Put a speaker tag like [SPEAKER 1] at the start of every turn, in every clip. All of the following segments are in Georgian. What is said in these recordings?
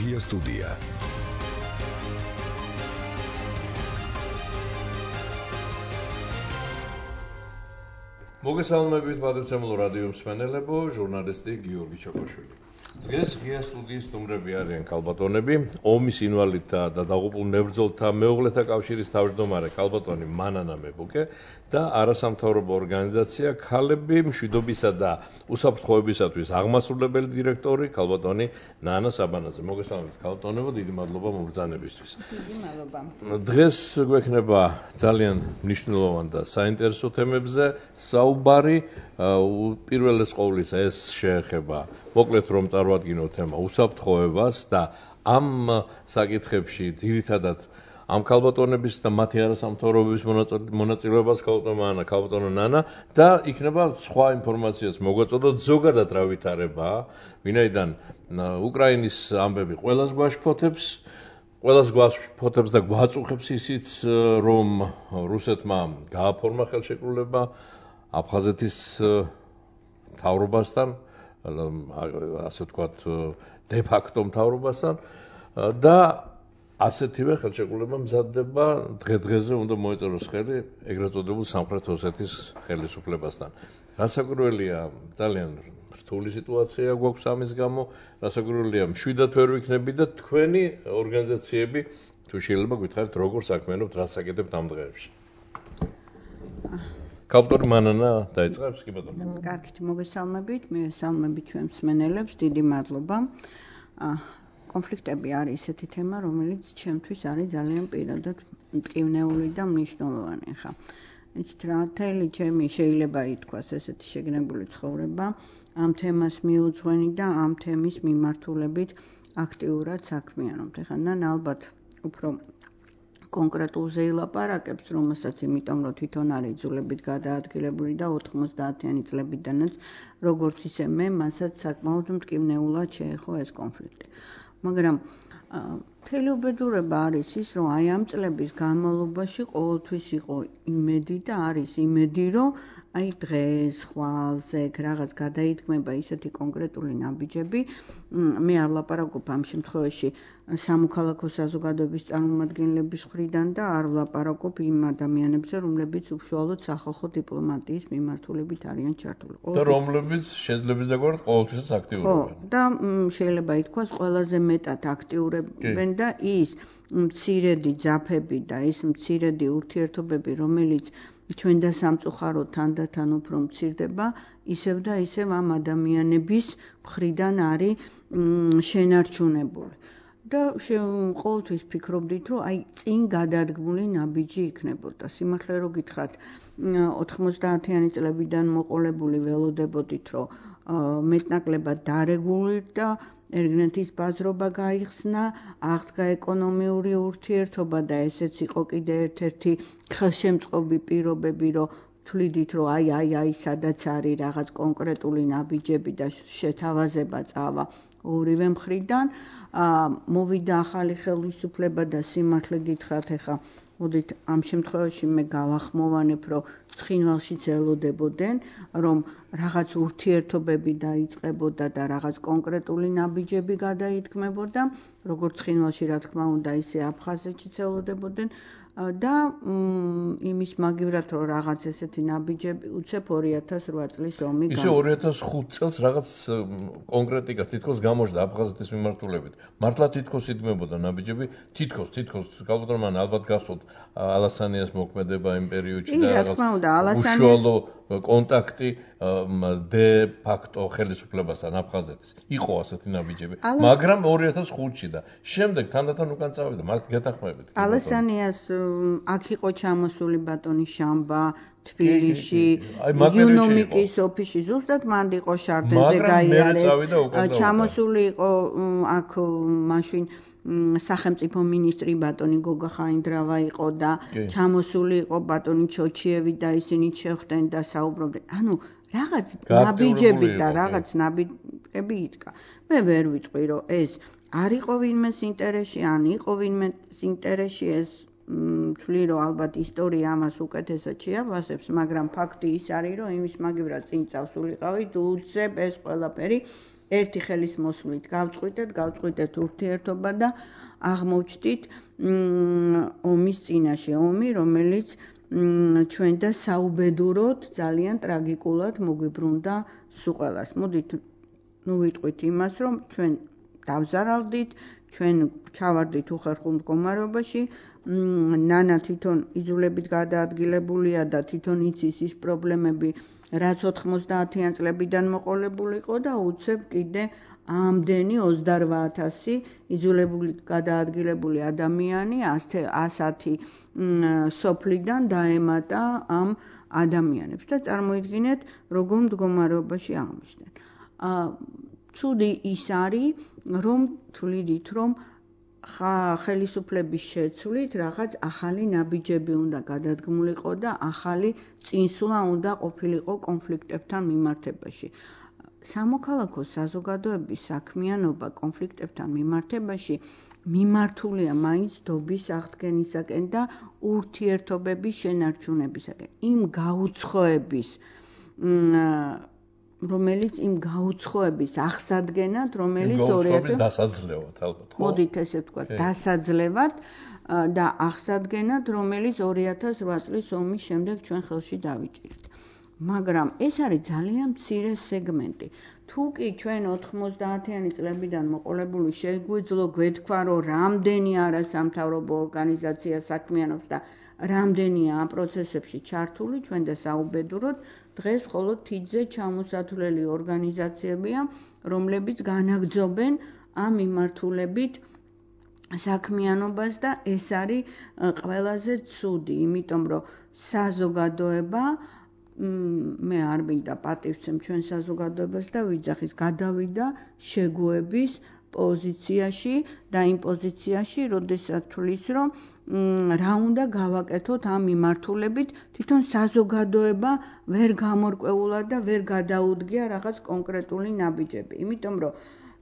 [SPEAKER 1] ღია სტუდია.
[SPEAKER 2] მოგესალმებით პატრიცემულო რადიო მსმენელებო, ჟურნალისტი გიორგი ჩოკოშვილი. დღეს ღია სტუდიის სტუმრები არიან ქალბატონები, ომის ინვალიდთა და დაღუპულ მებრძოლთა მეუღლეთა კავშირის თავმჯდომარე ქალბატონი მანანა მებუკე და არასამთავრობო ორგანიზაცია ქალები მშვიდობისა და უსაფრთხოებისათვის აღმასრულებელი დირექტორი ქალბატონი ნანა საბანაძე. მოგესალმებით ქალბატონებო, დიდი მადლობა მობრძანებისთვის.
[SPEAKER 3] დიდი მადლობა.
[SPEAKER 2] დღეს გვექნება ძალიან მნიშვნელოვან და საინტერესო თემებზე საუბარი. პირველეს ყოვლისა ეს შეეხება მოკლედ რომ წარვადგინოთ თემა უსაფრთხოებას და ამ საკითხებში ძირითადად ამ ქალბატონების და მათი არასამთავრობოების მონაწილეობას ქალბატონო ნანა და იქნება სხვა ინფორმაციას მოგვაწოდოთ ზოგადად რა ვითარებაა, ვინაიდან უკრაინის ამბები ყველას გვაშფოთებს და გვაწუხებს ისიც რომ რუსეთმა გააფორმა ხელშეკრულება აფხაზეთის მთავრობასთან, ასე ვთქვათ, დე-ფაქტო მთავრობასთან და ასეთივე ხელშეკრულება მზადდება დღე-დღეზე უნდა მოეწეროს ხელი ეგრეთ წოდებულ სამხრეთ ოსეთის ხელისუფლებასთან. რასაკვირველია, ძალიან რთული სიტუაცია გვაქვს ამის გამო, რასაკვირველია, მშვიდად ვერ ვიქნები და თქვენი ორგანიზაციები თუ შეიძლება გითხარით როგორ საქმიანობთ, რას აკეთებთ ამ დღეებში. ქალბატონი მანანა დაიწყებს, კი ბატონო.
[SPEAKER 3] კარგით, მოგესალმებით, მივესალმებით ჩვენ მსმენელებს, დიდი მადლობა. კონფლიქტები არის ისეთი თემა, რომელიც ჩემთვის არის ძალიან პირადად მტკივნეული და მნიშვნელოვანი. ხა, იცით რა, მთელი ჩემი შეიძლება ითქვას ესეთი შეგნებული ცხოვრება ამ თემას მიუძღვენი და ამ თემის მიმართულებით აქტიურად საქმიანობთ. ხა, ალბათ უფრო კონკრეტულზე ილაპარაკებს, რომელსაც იმიტომ რომ თვითონ არის იძულებით გადაადგილებული და 90-იანი წლებიდანაც როგორც ისე მე მასაც საკმაოდ მტკივნეულად შეეხო ეს კონფლიქტი. მაგრამ მთელი უბედურება არის ის, რომ აი ამ წლების განმავლობაში ყოველთვის იყო იმედი და არის იმედი, რომ აი დღეს, ხვალზე რაღაც გადაიდგმება ისეთი კონკრეტული ნაბიჯები. მე არ ვლაპარაკობ ამ შემთხვევაში სამოქალაქო საზოგადოების წარმომადგენლების მხრიდან და არ ვლაპარაკობ იმ ადამიანებზე, რომლებიც უშუალოდ სახალხო დიპლომატიის მიმართულებით არიან ჩართული.
[SPEAKER 2] და რომლებიც შეძლებს დაგვართ ყოველთვის აქტიურობენ.
[SPEAKER 3] და შეიძლება ითქვას ყველაზე მეტად აქტიურებენ და ის მცირედი ძაფები და ის მცირედი ურთიერთობები, რომელიც ჩვენ და სამწუხაროდ თანდათან უფრო მცირდება, ისევ და ისევ ამ ადამიანების მხრიდან არის შენარჩუნებული. და ყოველთვის ფიქრობდით, რომ აი წინ გადადგმული ნაბიჯი იქნებოდა. სიმართლე რო გითხრათ, 90-იანი წლებიდან მოყოლებული ველოდებოდით, რომ მეტნაკლებად დარეგულირდა ერგნეთის ბაზრობა გაიხსნა, აღდგა ეკონომიური ურთიერთობა და ესეც იყო კიდე ერთ-ერთი ხელშემწყობი პირობები, რომ თვლიდით, რომ აი სადაც არის რაღაც კონკრეტული ნაბიჯები და შეთავაზება წავა ორივე მხრიდან. მოვიდა ახალი ხელისუფლება და სიმართლე გითხრათ, ეხა მოდით ამ შემთხვევაში მე გავახმოვანებ, რომ ცხინვალშიც ელოდებოდნენ, რომ რაღაც ურთიერთობები დაიწყებოდა და რაღაც კონკრეტული ნაბიჯები გადაითქმებოდა, როგორც ცხინვალში რა თქმა უნდა, ისე აფხაზეთშიც ელოდებოდნენ და იმის მაგივრად რომ რაღაც ესეთი ნაბიჯები უცებ 2008 წლის ომი
[SPEAKER 2] ისე 2005 წელს რაღაც კონკრეტიკა თითქოს გამოჩნდა აფხაზეთის მიმართულებით. მართლა თითქოს იდგმებოდა ნაბიჯები, თითქოს ქალბატონმა ალბათ გასწოთ ალასანიას მოქმედება იმ პერიოდში და რაღაც უშუალო კონტაქტი დე-ფაქტო ხელისუფლებასთან აფხაზეთის. იყო ასეთი ნაბიჯები, მაგრამ 2005-ში და შემდეგ თანდათან უკან წავიდა. მართლა გეთახმებით.
[SPEAKER 3] ალასანიას აქ იყო ჩამოსული ბატონი შამბა, თბილისში, იუნომიკის ოფისში, ზუსტად მანდ იყო შარდენზე გაიარეს. ჩამოსული იყო აქ მაშინ სახელმწიფო მინისტრი ბატონი გოგა ხაინდრავა იყო და ჩამოსული იყო ბატონი ჩოჩიევი და ისინი შეხვდნენ და საუბრობდნენ. ანუ რაღაც ნაბიჯები და რაღაც ნაბიჯები იდგა. მე ვერ ვიტყვი, რომ ეს არ იყო ვინმეს ინტერესში, ან იყო ვინმეს ინტერესში, ეს თვლი, რომ ალბათ ისტორია ამას უკეთესად შეავასებს, მაგრამ ფაქტი ის არის, რომ იმის მაგივრად წინ წავსულიყავით უცებ ეს ყველაფერი ერთი ხელის მოსვლით გავწყვიტეთ ურთიერთობა და აღმოჩნდით ომის წინაშე ომი, რომელიც ჩვენ და საუბედუროდ ძალიან ტრაგიკულად მოგვიბრუნდა სულ ყველას. მოდით ვიტყვით იმას, რომ ჩვენ დავზარალდით, ჩვენ ჩავარდით უხერხულ მდგომარეობაში, ნანა თვითონ იზოლებით გადაადგილებულია და თვითონ იცის ის პრობლემები, რაც 90-იან წლებიდან მოყოლებულ იყო და უცებ კიდე ამდენი 28,000 იზოლებული გადაადგილებული ადამიანი 110 სოფლიდან დაემატა ამ ადამიანებს და წარმოიდგინეთ, როგორ მდგომარეობაში აღმოჩნდნენ. ცუდი ის არის, რომ თვლიდით, რომ ხელისუფლების შეცვლით რაღაც ახალი ნაბიჯები უნდა გადადგმულიყო და ახალი წინსვლა უნდა ყოფილიყო კონფლიქტებთან მიმართებაში. სამოქალაქო საზოგადოების საქმიანობა კონფლიქტებთან მიმართებაში მიმართულია მაინც დობის აღდგენისაკენ და ურთიერთობების შენარჩუნებისაკენ. იმ გაუცხოების აღსადგენად, რომელიც 2000
[SPEAKER 2] დასაძლევად ალბათ, ხო?
[SPEAKER 3] მოდით ესე ვთქვათ, დასაძლევად და აღსადგენად, რომელიც 2008 წლის ომის შემდეგ ჩვენ ხელში დავიჭირეთ. მაგრამ ეს არის ძალიან მცირე სეგმენტი. თუ კი ჩვენ 90-იანი წლებიდან მოყოლებული შეგვიძლო გვეთქვა, რომ რამდენი არასამთავრობო ორგანიზაცია საქმიანობს და რამდენია ამ პროცესებში ჩართული, ჩვენ და საუბედუროდ დღეს მხოლოდ თითზე ჩამოსათვლელი ორგანიზაციებია, რომლებიც განაგრძობენ ამ მიმართულებით საქმიანობას და ეს არის ყველაზე ცუდი, იმიტომ რომ საზოგადოება მე არ მინდა პატივცემ ჩვენ საზოგადოებას და ვიძახის გადავიდა შეგუების პოზიციაში და იმ პოზიციაში, როდესაც თulis რომ რა უნდა გავაკეთოთ ამ მიმართულებით, თვითონ საზოგადოება ვერ გამორკვეულა და ვერ გადაუდგია რაღაც კონკრეტული ნაბიჯები. იმიტომ რომ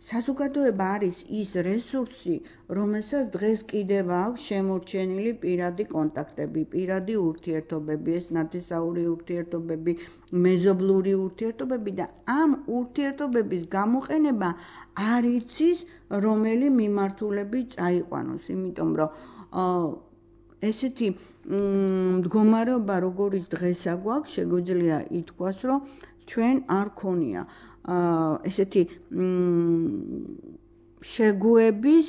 [SPEAKER 3] საზოგადოება არის ის რესურსი, რომელსაც დღეს კიდევ აქვს შემორჩენილი პირადი კონტაქტები, პირადი ურთიერთობები, ეს ნათესაური ურთიერთობები, მეზობლური ურთიერთობები და ამ ურთიერთობების გამოყენება არ იცის, რომელი მიმართულები წაიყვანოს, იმიტომ რომ ესეთი მდგომარეობა, როგორიც დღესა გვაქვს, შეგვიძლია ითქვას, რომ ჩვენ არ ქონია ესეთი შეგუების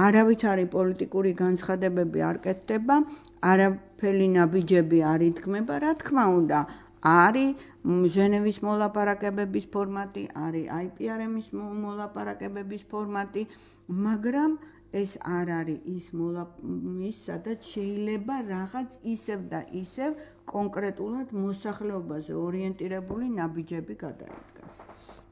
[SPEAKER 3] არავითარი პოლიტიკური განცხადებები არ კეთდება, არაფერი ნაბიჯები არ იდგმება, რა თქმა უნდა, არის ჟენევის მოლაპარაკებების ფორმატი, არის IPRM-ის მოლაპარაკებების ფორმატი, მაგრამ ეს არ არის ის სადაც შეიძლება რაღაც ისევ და ისევ კონკრეტულად მოსახლეობაზე ორიენტირებული ნაბიჯები გადაიდგას.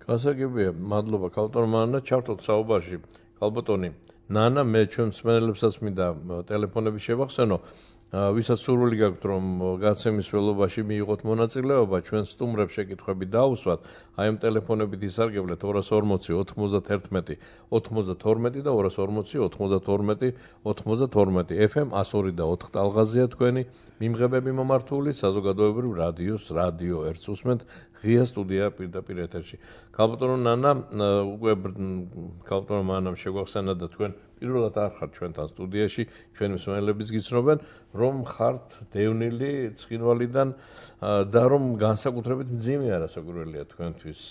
[SPEAKER 2] გასაგებია, მადლობა ქალბატონმა ნანა, ჩართოთ საუბარში. ქალბატონი ნანა, მე ჩვენ მსმენელებსაც მინდა ტელეფონები შევახსენო, ვისაც სურვილი გაქვთ, რომ გაცემის ველობაში მიიღოთ მონაწილეობა, ჩვენ სტუმრებს შეკითხვები დაუსვათ, აი ამ ტელეფონებით ისარგებლეთ 240 91 92 და 240 92 92 FM 102 და 4 ტალღაზია თქვენი მიმღებები მომართული საზოგადოებრივ რადიო ერთს უსმენთ ღია სტუდია პირდაპირ ეთერში. ქალბატონო ნანა, უკვე ქალბატონმა ნანამ შეგვახსენა და თქვენ პირველად არ ხართ ჩვენთან სტუდიაში, ჩვენი მსმენელებიც გიცნობენ, რომ ხართ დევნილი ცხინვალიდან და რომ განსაკუთრებით მძიმე არასაკვირველია თქვენთვის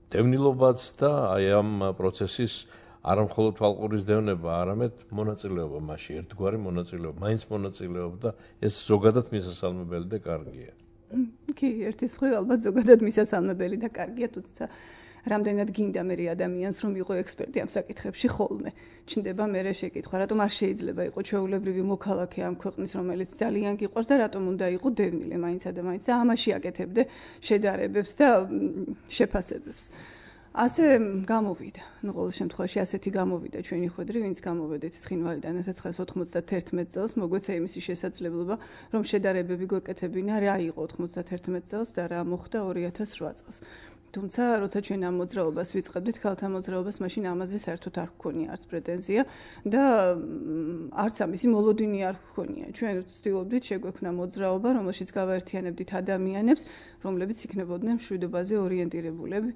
[SPEAKER 2] დევნილობაც და აი ამ პროცესის არა მხოლოდ თვალყურის დევნება, არამედ მონაწილეობა მასში, ერთგვარი მონაწილეობა, მაინც მონაწილეობა და ეს ზოგადად მისასალმებელი და კარგია.
[SPEAKER 1] კი, ერთის მხრივ ალბათ ზოგადად მისასალმებელი და კარგია, თუმცა რამდენად გინდა მე ადამიანს რომ იყო ექსპერტი ამ საკითხებში ხოლმე. ჩნდება მე შეკითხვა, რატომ არ შეიძლება იყო ჩვეულებრივი მოქალაქე ამ ქვეყნის, რომელიც ძალიან გიყვარს და რატომ უნდა იყო დევნილე მაინცა და მაინც და ამაში აკეთებდე შედარებებს და შეფასებებს. ასე გამოვიდა. ნუ ყოველ შემთხვევაში ასეთი გამოვიდა ჩვენი ხვედრი, ვინც გამოვედით ცხინვალიდან 1991 წელს, მოგვეცა იმისი შესაძლებლობა, რომ შედარებები გვეკეთებინა რა იყო 91 წელს და რა მოხდა 2008 წელს. თუმცა როცა ჩვენ ამ მოძრაობას ვიწყებდით, ქალთა მოძრაობას, მაშინ ამაზე საერთოდ არ გქონია არც პრეტენზია და არც ამისი მოლოდინი არ გქონია. ჩვენ ვცდილობდით შეგვექმნა მოძრაობა, რომელშიც გავაერთიანებდით ადამიანებს, რომლებიც იქნებოდნენ მშვიდობაზე ორიენტირებულები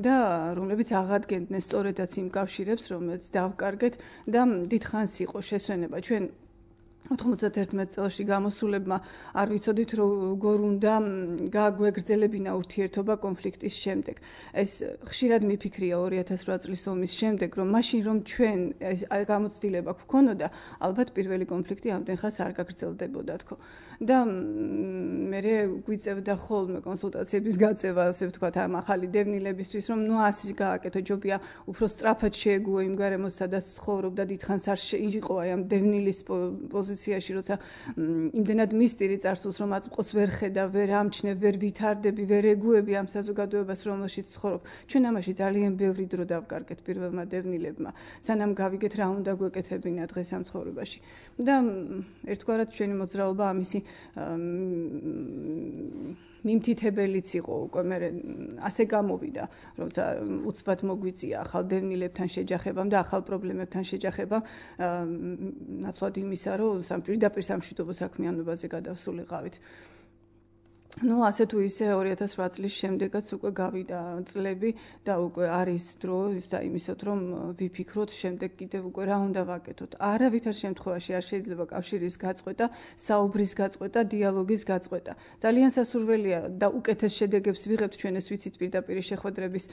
[SPEAKER 1] და რომლებიც აღადგენდნენ სწორედაც იმ კავშირებს, რომელიც დავკარგეთ და დიდხანს იყო შესვენება. ჩვენ 91 წელში გამოსულებმა არ ვიცოდით როგორ უნდა გაგვეგრძელებინა ურთიერთობა კონფლიქტის შემდეგ. ეს ხშირად მიფიქრია 2008 წლის ომის შემდეგ, რომ მაშინ რომ ჩვენ გამოცდილება გვქონოდა, ალბათ პირველი კონფლიქტი ამდენ ხანს არ გაგრძელდებოდა თქო. და მე გვიწევდა ხოლმე კონსულტაციების გაწევა, ასე ვთქვათ, ამ ახალი დევნილებისთვის, რომ ნუ ასე გააკეთო, ჯობია უფრო სწრაფად შეეგუო იმ გარემოს, სადაც ცხოვრობდა, დიდხანს არ იყო აი ამ დევნილის პოზიციაში, როცა იმდენად მისტირი წარსულს, რომ აწმყოს ვერ ხედა, ვერ ამჩნე, ვერ ვითარდები, ვერ ეგუები ამ საზოგადოებას, რომელშიც ცხოვრობ. ჩვენ ამაში ძალიან ბევრი დრო დავკარგეთ პირველმა დევნილებმა, სანამ გავიგეთ რა უნდა გვეკეთებინა დღეს ამ ცხოვრებაში. და ერთგვარად ჩვენი მოძრაობა ამისი მიმთითებელიც იყო უკვე მე ასე გამოვიდა, როცა უცბად მოგვიწია ახალ დევნილებთან შეჯახებამ და ახალ პრობლემებთან შეჯახებამ, ნაცვლად იმისა, რომ პირდაპირ სამშვიდობო საქმიანობაზე გადავსულიყავით. ნუ ასე თუ ისე 2008 წლის შემდეგაც უკვე გავიდა წლები და უკვე არის დრო და იმისოთ, რომ ვიფიქროთ შემდეგ კიდევ უკვე რა უნდა ვაკეთოთ. არავითარ შემთხვევაში არ შეიძლება კავშირის გაწყვეტა, საუბრის გაწყვეტა, დიალოგის გაწყვეტა. ძალიან სასურველია და უკეთეს შედეგებს ვიღებთ, ჩვენ ეს ვიცით პირდაპირ შეხვედრების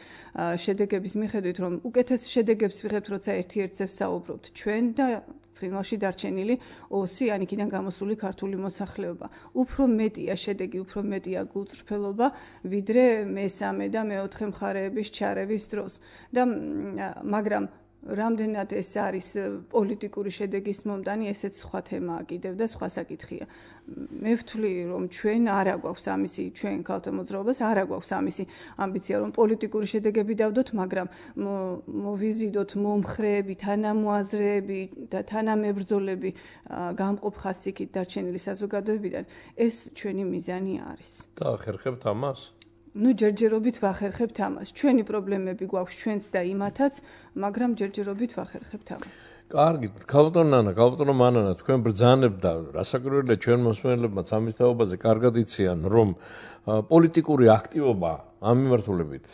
[SPEAKER 1] შედეგების მიხედვით, რომ უკეთეს შედეგებს ვიღებთ, როცა ერთ-ერთს საუბრობთ ჩვენ და ცხინვალში დარჩენილი 200 ან იქიდან გამოსული ქართული მოსახლეობა. უფრო მეტია შედეგი, უფრო მეტია გულწრფელობა, ვიდრე მესამე და მეოთხე მხარეების ჩარევის დროს. და მაგრამ რამდენად ეს არის პოლიტიკური შედეგის მომტანი, ესეც სხვა თემაა კიდევ და სხვა საკითხია. მე ვთვლი, რომ ჩვენ არა გვაქვს ამისი, ჩვენ ქალთა მოძრაობას არა გვაქვს ამისი ამბიცია, რომ პოლიტიკური შედეგები დავდოთ, მაგრამ მოვიზიდოთ მომხრეები, თანამოაზრეები და თანამებრძოლები გამყოფ ხასიათით დარჩენილი საზოგადოებიდან, ეს ჩვენი მიზანი არის.
[SPEAKER 2] და ახერხებთ ამას?
[SPEAKER 1] ნუ ჯერჯერობით ვახერხებთ ამას. ჩვენი პრობლემები გვაქვს ჩვენც და იმათაც, მაგრამ ჯერჯერობით ვახერხებთ ამას.
[SPEAKER 2] კარგი, ქალბატონო მანანა, თქვენ ბრძანებთ და რასაკვირველია ჩვენ მოსმენელებმაც ამის თაობაზე კარგად იციან, რომ პოლიტიკური აქტივობა ამ მიმართულებით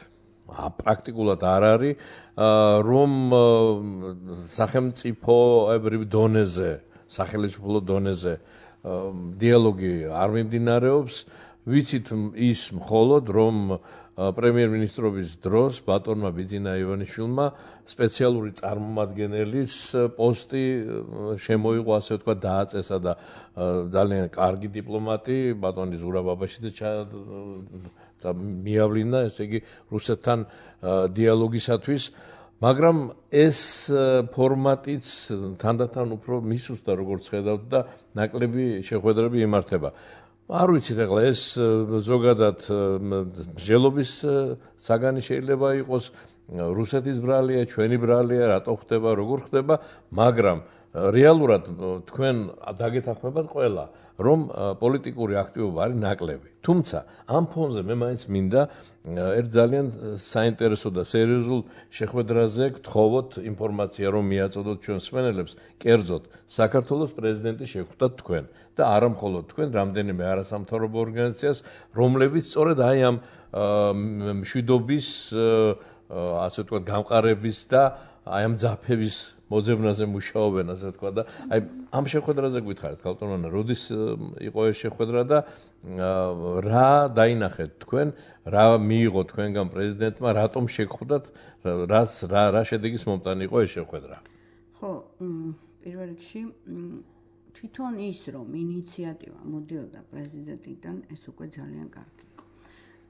[SPEAKER 2] პრაქტიკულად არ არის, რომ სახელმწიფოებრივ დონეზე, სახელმწიფო დონეზე დიალოგი არ მიმდინარეობს. ვიცით ის მხოლოდ, რომ პრემიერ-მინისტრობის დროს ბატონმა ბიძინა ივანიშვილმა სპეციალური წარმომადგენლის პოსტი შემოიღო, ასე ვთქვათ, დააწესა და ძალიან კარგი დიპლომატი ბატონი ზურაბ აბაშიძე მიავლინა, ესე იგი რუსეთთან დიალოგისათვის, მაგრამ ეს ფორმატიც თანდათან უფრო მისუსტა, როგორც ხედავთ და ნაკლები შეხვედრები იმართება. არ ვიცით ახლა ეს ზოგადად მსჯელობის საგანი შეიძლება იყოს, რუსეთის ბრალია, ჩვენი ბრალია, რატო ხდება, როგორ ხდება, მაგრამ რეალურად თქვენ დაგეთანხმებათ ყველა, რომ პოლიტიკური აქტივობა არის ნაკლები. თუმცა ამ ფონზე მე მაინც მინდა ერთ ძალიან საინტერესო და სერიოზულ შეხვედრაზე გთხოვოთ ინფორმაცია, რომ მიაწოდოთ ჩვენ მსმენელებს, კერძოდ საქართველოს პრეზიდენტი შეხვდათ თქვენ და არა მხოლოდ თქვენ, რამდენიმე არასამთავრობო ორგანიზაციას, რომლებიც სწორედ აი ამ მშვიდობის, ასე ვთქვათ, გამყარების და აი ამ ძაფების მოძებნაზე მუშაობენ, ასე ვთქვათ და აი ამ შეხვედრაზე გითხარით, ქალბატონო, როდის იყო ეს შეხვედრა და რა დაინახეთ თქვენ, რა მიიღო თქვენგან პრეზიდენტმა, რატომ შეგხვდათ, რა შედეგის მომტანი იყო ეს შეხვედრა?
[SPEAKER 3] ხო, პირველ რიგში თვითონ ის, რომ ინიციატივა მოდიოდა პრეზიდენტიდან, ეს უკვე ძალიან კარგი იყო.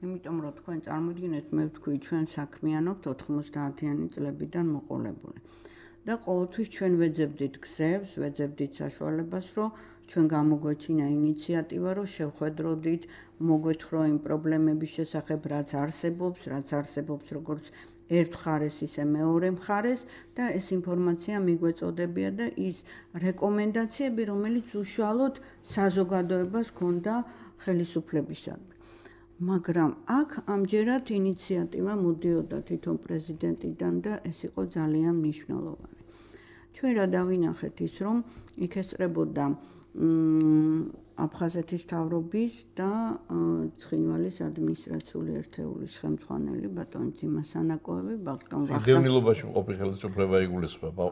[SPEAKER 3] იმიტომ რომ თქვენ წარმოიდგინეთ, მე ვთქვი, ჩვენ საქმიანობთ 90-იანი წლებიდან მოყოლებული. და ყოველთვის ჩვენ ვეძებდით გზებს, ვეძებდით საშუალებას, რომ ჩვენ გამოგვეჩინა ინიციატივა, რომ შევხვედროდით, მოგვეთხოვო იმ პრობლემების შესახებ, რაც არსებობს, როგორც ერთ მხარეს, ისე მეორე მხარეს და ეს ინფორმაცია მიგვეწოდებია და ის რეკომენდაციები, რომელიც უშუალოდ საზოგადოებას ჰქონდა ხელისუფლებისადმი. მაგრამ აქ ამჯერად ინიციატივა მოდიოდა თვითონ პრეზიდენტიდან და ეს იყო ძალიან მნიშვნელოვანი. ჩვენ რა დავინახეთ ის, რომ იქ ესწრებოდა აფხაზეთის მთავრობის და ცხინვალის ადმინისტრაციული ერთეულის ხელმძღვანელი ბატონი ძიმა სანაკოევი, ბატონ ვახტანგ.
[SPEAKER 2] დევნილობაში მყოფი ხელისუფლება იგულისხმება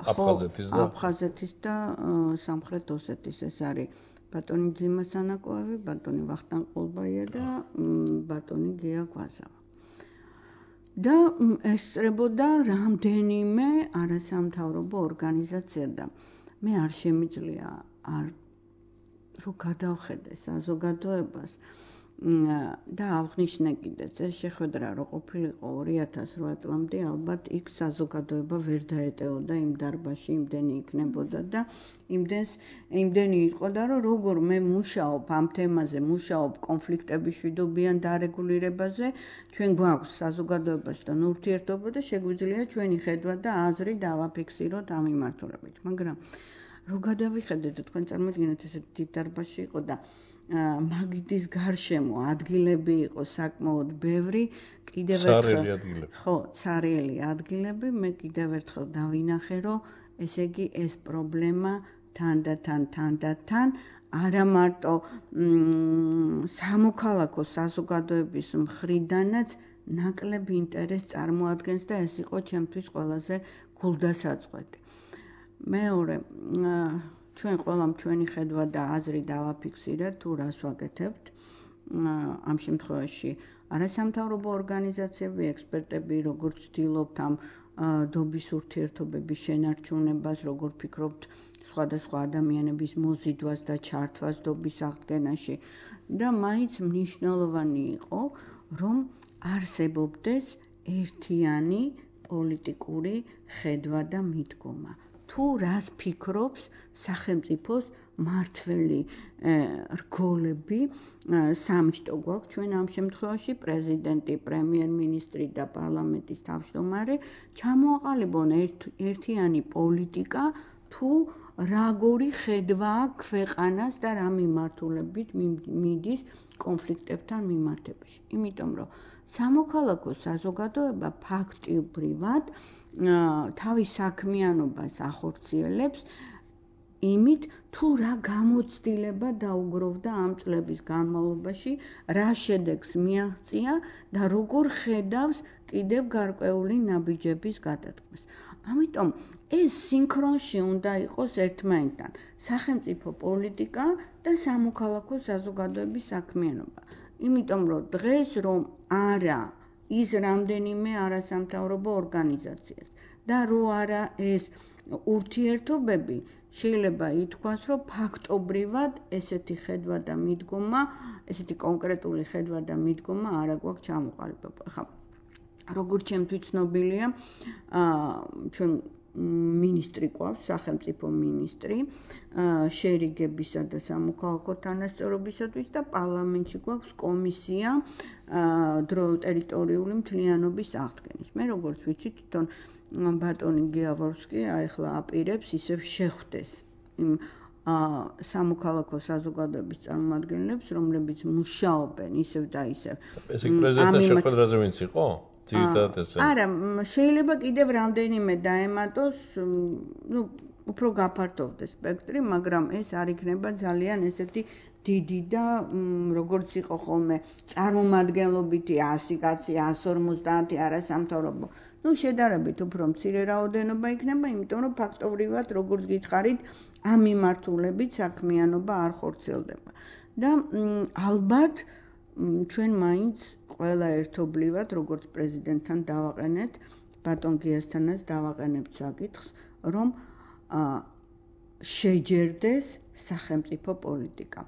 [SPEAKER 2] აფხაზეთის და სამხრეთ ოსეთის ეს არის ბატონი ძიმა სანაკოევი, ბატონი ვახტანგ ყულბაია და ბატონი გია გვაზავა. და ესწრებოდა რამდენიმე არასამთავრობო ორგანიზაცია და მე არ შემიძლია რომ გადავხედე საზოგადოებას და აღნიშნე კიდეც ეს შეხვედრა რო ყოფილიყო 2008 წლამდე ალბათ იქ საზოგადოება ვერ დაეტეოდა იმ დარბაზში იმდენი იქნებოდა და იმდენი იყო და რომ როგორ მე მუშაობ ამ თემაზე მუშაობ კონფლიქტების მშვიდობიან დარეგულირებაზე ჩვენ გვაქვს საზოგადოებასთან ურთიერთობა და შეგვიძლია ჩვენი ხედვა და აზრი დავაფიქსიროთ ამ მიმართულებით მაგრამ რო გადავიხედეთ თქვენ წარმოგიდგენთ ესე დიდ დარბაზში იყო და მაგიდის გარშემო ადგილები იყო საკმაოდ ბევრი კიდევ ერთხელ ხო ცარიელი ადგილები მე კიდევ ერთხელ დავინახე რომ ესე იგი ეს პრობლემა თანდათან არა მარტო სამოქალაქო საზოგადოების მხრიდანაც ნაკლებ ინტერესს წარმოადგენს და ეს იყო ჩემთვის ყველაზე გულდასაწყვეტი მეორე ჩვენ ყველამ ჩვენი ხედვა და აზრი დავაფიქსირეთ თუ რას ვაკეთებთ ამ შემთხვევაში არასამთავრობო ორგანიზაციები ექსპერტები როგორც ვცდილობთ ამ დობის ურთიერთობების შენარჩუნებას როგორ ფიქრობთ სხვადასხვა ადამიანების მოზიდვას და ჩართვას დობის აღდგენაში და მაინც მნიშვნელოვანი იყო რომ არსებობდეს ერთიანი პოლიტიკური ხედვა და მიდგომა თუ რას ფიქრობს სახელმწიფოს მართველი რგოლები სამშტო გვაქვს ჩვენ ამ შემთხვევაში პრეზიდენტი, პრემიერ-მინისტრი და პარლამენტის თავმჯდომარე ჩამოაყალიბონ ერთიანი პოლიტიკა თუ როგორი ხედვა აქვს ქვეყანას და რა მიმართულებით მიდის კონფლიქტებთან მიმართებაში. იმიტომ რომ სამოქალაქო საზოგადოება ფაქტობრივად თავის საქმიანობას ახორციელებს იმით თუ რა გამოცდილება დაუგროვდა ამ წლების განმავლობაში, რა შედეგს მიაღწია და როგორ ხედავს კიდევ გარკვეული ნაბიჯების გადადგმას. ამიტომ ეს სინქრონში უნდა იყოს ერთმანეთთან სახელმწიფო პოლიტიკა და სამოქალაქო საზოგადოების საქმიანობა. იმიტომ რომ დღეს რომ არა ის რამდენიმე არასამთავრობო ორგანიზაციას და რო არა ეს ურთიერთობები შეიძლება ითქვას რომ ფაქტობრივად ესეთი ხედვა და მიდგომა ესეთი კონკრეტული ხედვა და მიდგომა არა გვაქვს ჩამოყალიბება. ხა როგორც ჩემთვის ცნობილია ჩვენ მინისტრი ყავს სახელმწიფო მინისტრი შერიგებისა და სამოქალაქო თანასწორობისათვის და პარლამენტში გვაქვს კომისია ტერიტორიული მთლიანობის აღდგენის. მე როგორც ვიცი თვითონ ბატონი გიავორსკი ახლა აპირებს ისევ შეხვდეს იმ სამოქალაქო საზოგადოების წარმომადგენლებს, რომლებიც მუშაობენ ისევ და ისევ. ეს პრეზიდენტის შეხვედრაზე ვინც იყო?
[SPEAKER 3] არა, შეიძლება კიდევ რამდენიმე დაემატოს, უფრო გაფართოვდეს სპექტრი, მაგრამ ეს არ იქნება ძალიან ესეთი დიდი და როგორც იყო ხოლმე წარმომადგენლობითი 100 კაცი, 150 არასამთავრობო. შედარებით უფრო მცირე რაოდენობა იქნება, იმიტომ რომ ფაქტობრივად როგორც გითხარით, ამ მიმართულებით საქმიანობა არ ხორციელდება. და ალბათ ჩვენ მაინც ყველა ერთობლივად როგორც პრეზიდენტთან დავაყენეთ, ბატონ გიასთანაც დავაყენებთ საკითხს, რომ შეჯერდეს სახელმწიფო პოლიტიკა.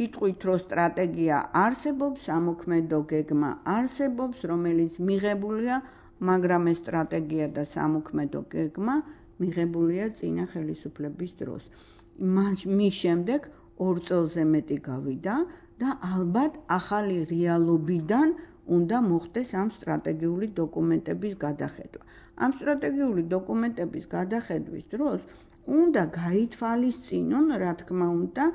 [SPEAKER 3] იტყვით, რომ სტრატეგია არსებობს, სამოქმედო გეგმა არსებობს, რომელიც მიღებულია, მაგრამ ეს სტრატეგია და სამოქმედო გეგმა მიღებულია წინა ხელისუფლების დროს. მის შემდეგ 2 წელზე მეტი გავიდა და ალბათ ახალი რეალობიდან უნდა მოხდეს ამ სტრატეგიული დოკუმენტების გადახედვა. ამ სტრატეგიული დოკუმენტების გადახედვის დროს უნდა გაითვალისწინონ, რა თქმა უნდა,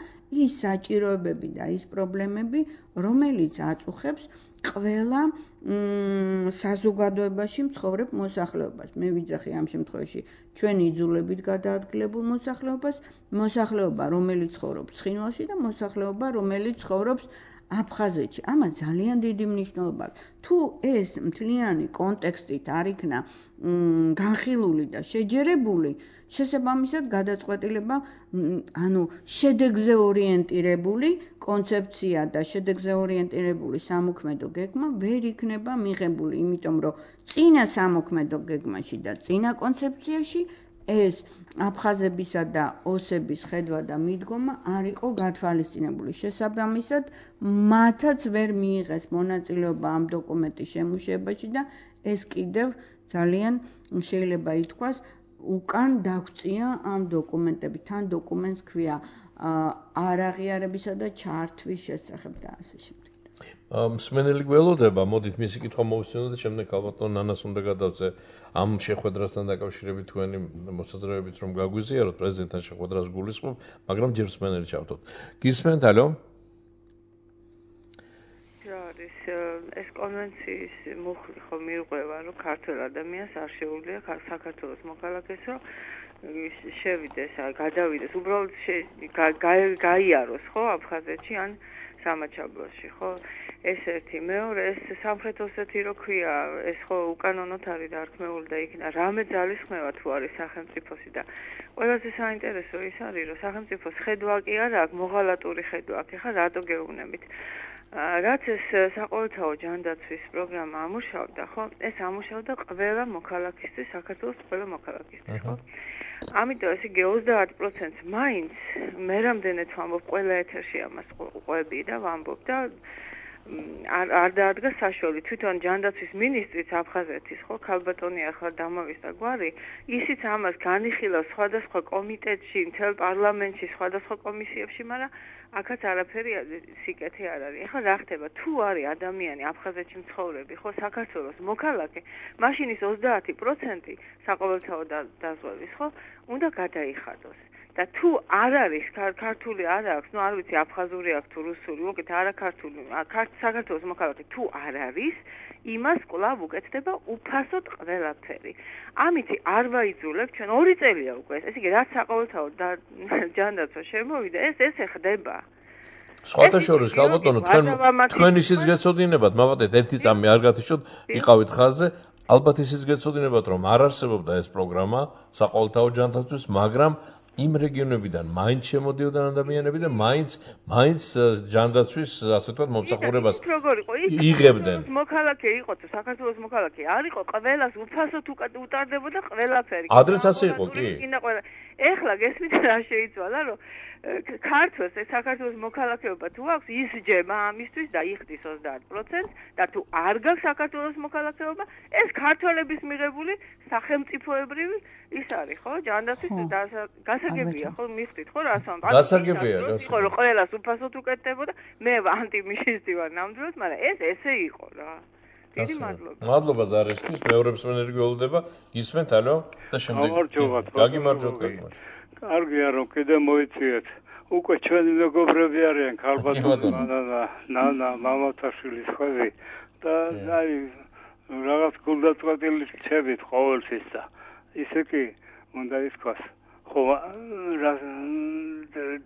[SPEAKER 3] ის საჭიროებები და ის პრობლემები, რომელიც აწუხებს ყველა საზოგადოებაში მცხოვრებ მოსახლეობას. მე ვიძახი ამ შემთხვევაში ჩვენ იძულებით გადაადგილებულ მოსახლეობას, მოსახლეობა, რომელიც ცხოვრობს ცხინვალში და მოსახლეობა, რომელიც ცხოვრობს აფხაზეთში. ამას ძალიან დიდი მნიშვნელობა აქვს. თუ ეს მთლიანი კონტექსტით არ იქნა განხილული და შეჯერებული, შესაბამისად გადაწყვეტილება, ანუ შედეგზე ორიენტირებული კონცეფცია და შედეგზე ორიენტირებული სამოქმედო გეგმა ვერ იქნება მიღებული, იმიტომ რომ წინა სამოქმედო გეგმაში და წინა კონცეფციაში ეს აფხაზებისა და ოსების ხედვა და მიდგომა არ იყო გათვალისწინებული. შესაბამისად, მათაც ვერ მიიღეს მონაწილეობა ამ დოკუმენტის შემუშავებაში და ეს კიდევ ძალიან შეიძლება ითქვას უკან დაგვწია ამ დოკუმენტები. თან დოკუმენტს ქვია არაღიარებისა და ჩართვის შესახებ და ასე შემდეგ.
[SPEAKER 2] მსმენელი გველოდება, მოდით მისი კითხვა მოვისმინოთ და შემდეგ ალბათ ნანას უნდა გადავწე ამ შეხვედრასთან დაკავშირებით თქვენი მოსაზრებებით რომ გაგვიზიაროთ პრეზიდენტთან შეხვედრას გულისხმობ, მაგრამ ჯერ მსმენელი ჩავთოთ. გისმენთ, ალო?
[SPEAKER 4] ეს კონვენციის მუხლი ხო მიუყვება, რომ ქართველ ადამიანს არ შეუძლია საქართველოს მოქალაქეს რომ შევიდეს, გადავიდეს, უბრალოდ გაიაროს ხო აფხაზეთში ან სამაჩაბლოში, ხო? ეს ერთი, მეორე, ეს სამხრეთ ოსეთი რო ქვია, ეს ხო უკანონოდ არის დარქმეული და იქნა რამე ძალისხმევა თუ არის სახელმწიფოსი და ყველაზე საინტერესო ის არის, რომ სახელმწიფოს ხედვა კი არა აქვს, მოღალატური ხედვა აქვს. ეხლა რატო გეუბნებით? რაც ეს საყოველთაო ჯანდაცვის პროგრამა ამუშავდა, ხო? ეს ამუშავდა ყველა მოქალაქისთვის, საქართველოს ყველა მოქალაქისთვის, ხო? ამიტომ ეს იგი 30%-ს მაინც მე რამდენად ვამბობ ყველა ეთერში ამას ყვები და ვამბობ და არ დაადგა საშუალო თვითონ ჯანდაცვის მინისტრიც აფხაზეთის ხო ქალბატონი ახლა დამოვიდა გვარი ისიც ამას განიხილავს სხვადასხვა კომიტეტში მთელ პარლამენტში სხვადასხვა კომისიებში მაგრამ აქაც არაფერი სიკეთე არ არის ახლა რა ხდება თუ არის ადამიანი აფხაზეთში მცხოვრები ხო საქართველოს მოქალაქე მაშინ ის 30% საყოველთაო დაზღვევის ხო უნდა გადაიხადოს და თუ არ არის ქართული არ აქვს, ნუ არ ვიცი აფხაზური აქვს თუ რუსული, უკეთ არა ქართული, საქართველოს მოქალაქე თუ არ არის, იმას კვლავ უკეთდება უფასოდ ყველაფერი. ამით არ ვაიძულებ, ჩვენ 2 წელია უკვე ეს იგი რაც საყოველთაო ჯანდაცვა შემოვიდა, ეს ხდება.
[SPEAKER 2] სხვათა შორის, ქალბატონო, თქვენ ისიც გეცოდინებათ, მოვატეთ ერთი წამი არ გათიშოთ, იყავით ხაზზე, ალბათ ისიც გეცოდინებათ, რომ არ არსებობდა ეს პროგრამა საყოველთაო ჯანდაცვის, მაგრამ იმ რეგიონებიდან მაინც შემოდიოდნენ ადამიანები და მაინც ჯანდაცვის ასე ვთქვათ მომსახურებას იღებდნენ.
[SPEAKER 4] მოქალაქე იყო თუ საქართველოს მოქალაქე არ იყო ყველას უფასოდ უტარდებოდა ყველაფერი.
[SPEAKER 2] ადრეც ასე იყო კი?
[SPEAKER 4] ეხლა გესმით რა შეიცვალა რომ ქართველს საქართველოს მოქალაქეობა თუ აქვს ისჯება ამისთვის და იხდის 30% და თუ არ გაქვს საქართველოს მოქალაქეობა ეს ქართველების მიღებული სახელმწიფოებრივი ის არის ხო ჯანდაცვის გასაგებია ხო მიხვდით ხო რას ვამბობ
[SPEAKER 2] გასაგებია
[SPEAKER 4] ხო რომ ყველას უფასოდ უკეთდებოდა მე ანტიმიშისტი ვარ ნამდვილად მაგრამ ეს ესე იყო რა დიდი მადლობა
[SPEAKER 2] მადლობა ზარესთვის მეორე მსმენელი გველოდება გისმენთ ალო და შემდეგ გაგიმარჯოთ
[SPEAKER 5] კარგია რომ კიდე მოიციეთ უკვე ჩვენი მეგობრები არიან ქალბატონი ნანა მამათაშვილის ხვევი და აი რაღაც გულდაწყვეტილი რჩებით ყოველთვის და ისე კი უნდა ითქვას ხო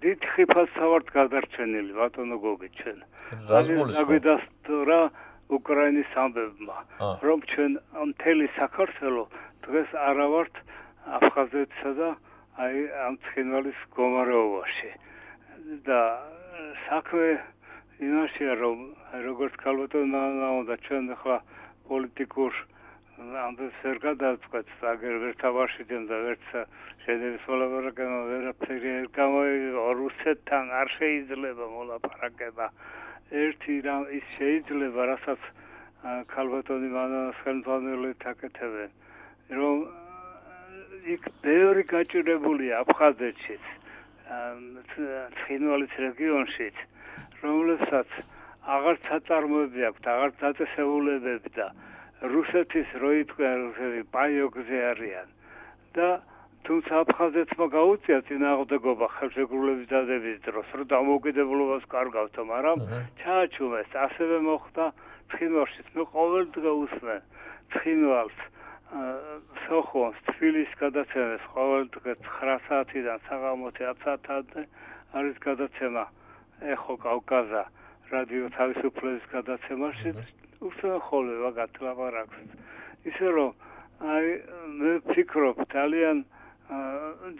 [SPEAKER 5] დიდხი ფასავართ გადარჩენილი ბატონო გოგი ჩვენ აგვიდასტურა უკრაინის ამბებმა რომ ჩვენ მთელი საქართველო დღეს არა ვართ აფხაზეთსა და აი ამ ცხინვალის მდგომარეობაში და საქმე იმაშია რომ როგორც ქალბატონმა უნდა ჩვენ ახლა პოლიტიკურ ამბებს ვერ გადავწყვეტ აგერ ვერ თავარშიდენ და ვერც შედევის მოლაპარაკება ვერაფერი გამოიგო რუსეთთან არ შეიძლება მოლაპარაკება ერთი რამ ის შეიძლება რასაც ქალბატონი მანას ხელმძღვანელობით აკეთებენ რომ იქ ბევრი გაჭირებულია აფხაზეთშიც ცხინვალის რეგიონშიც რომელსაც აღარც აწარმოები აქვს აღარც დაწესებულებები და რუსეთის როიტყვია რუსები პაიოგზე არიან და თუმცა აფხაზეთმა გაუწია წინააღმდეგობა ხელშეკრულების დადების დროს რომ დამოუკიდებლობას კარგავთო მაგრამ ჩააჩუმეს ასევე მოხდა ცხინვალშიც მე ყოველდღე უსმენ ცხინვალს სოხონს თბილისის გადაცემას ყოველდღე 9 საათიდან საღამოს 10 საათამდე არის გადაცემა ეხო კავკაზა რადიო თავისუფლების გადაცემაში უსმენ ხოლმე ვაგათ ლაპარაკს ისე რომ აი მე ვფიქრობ ძალიან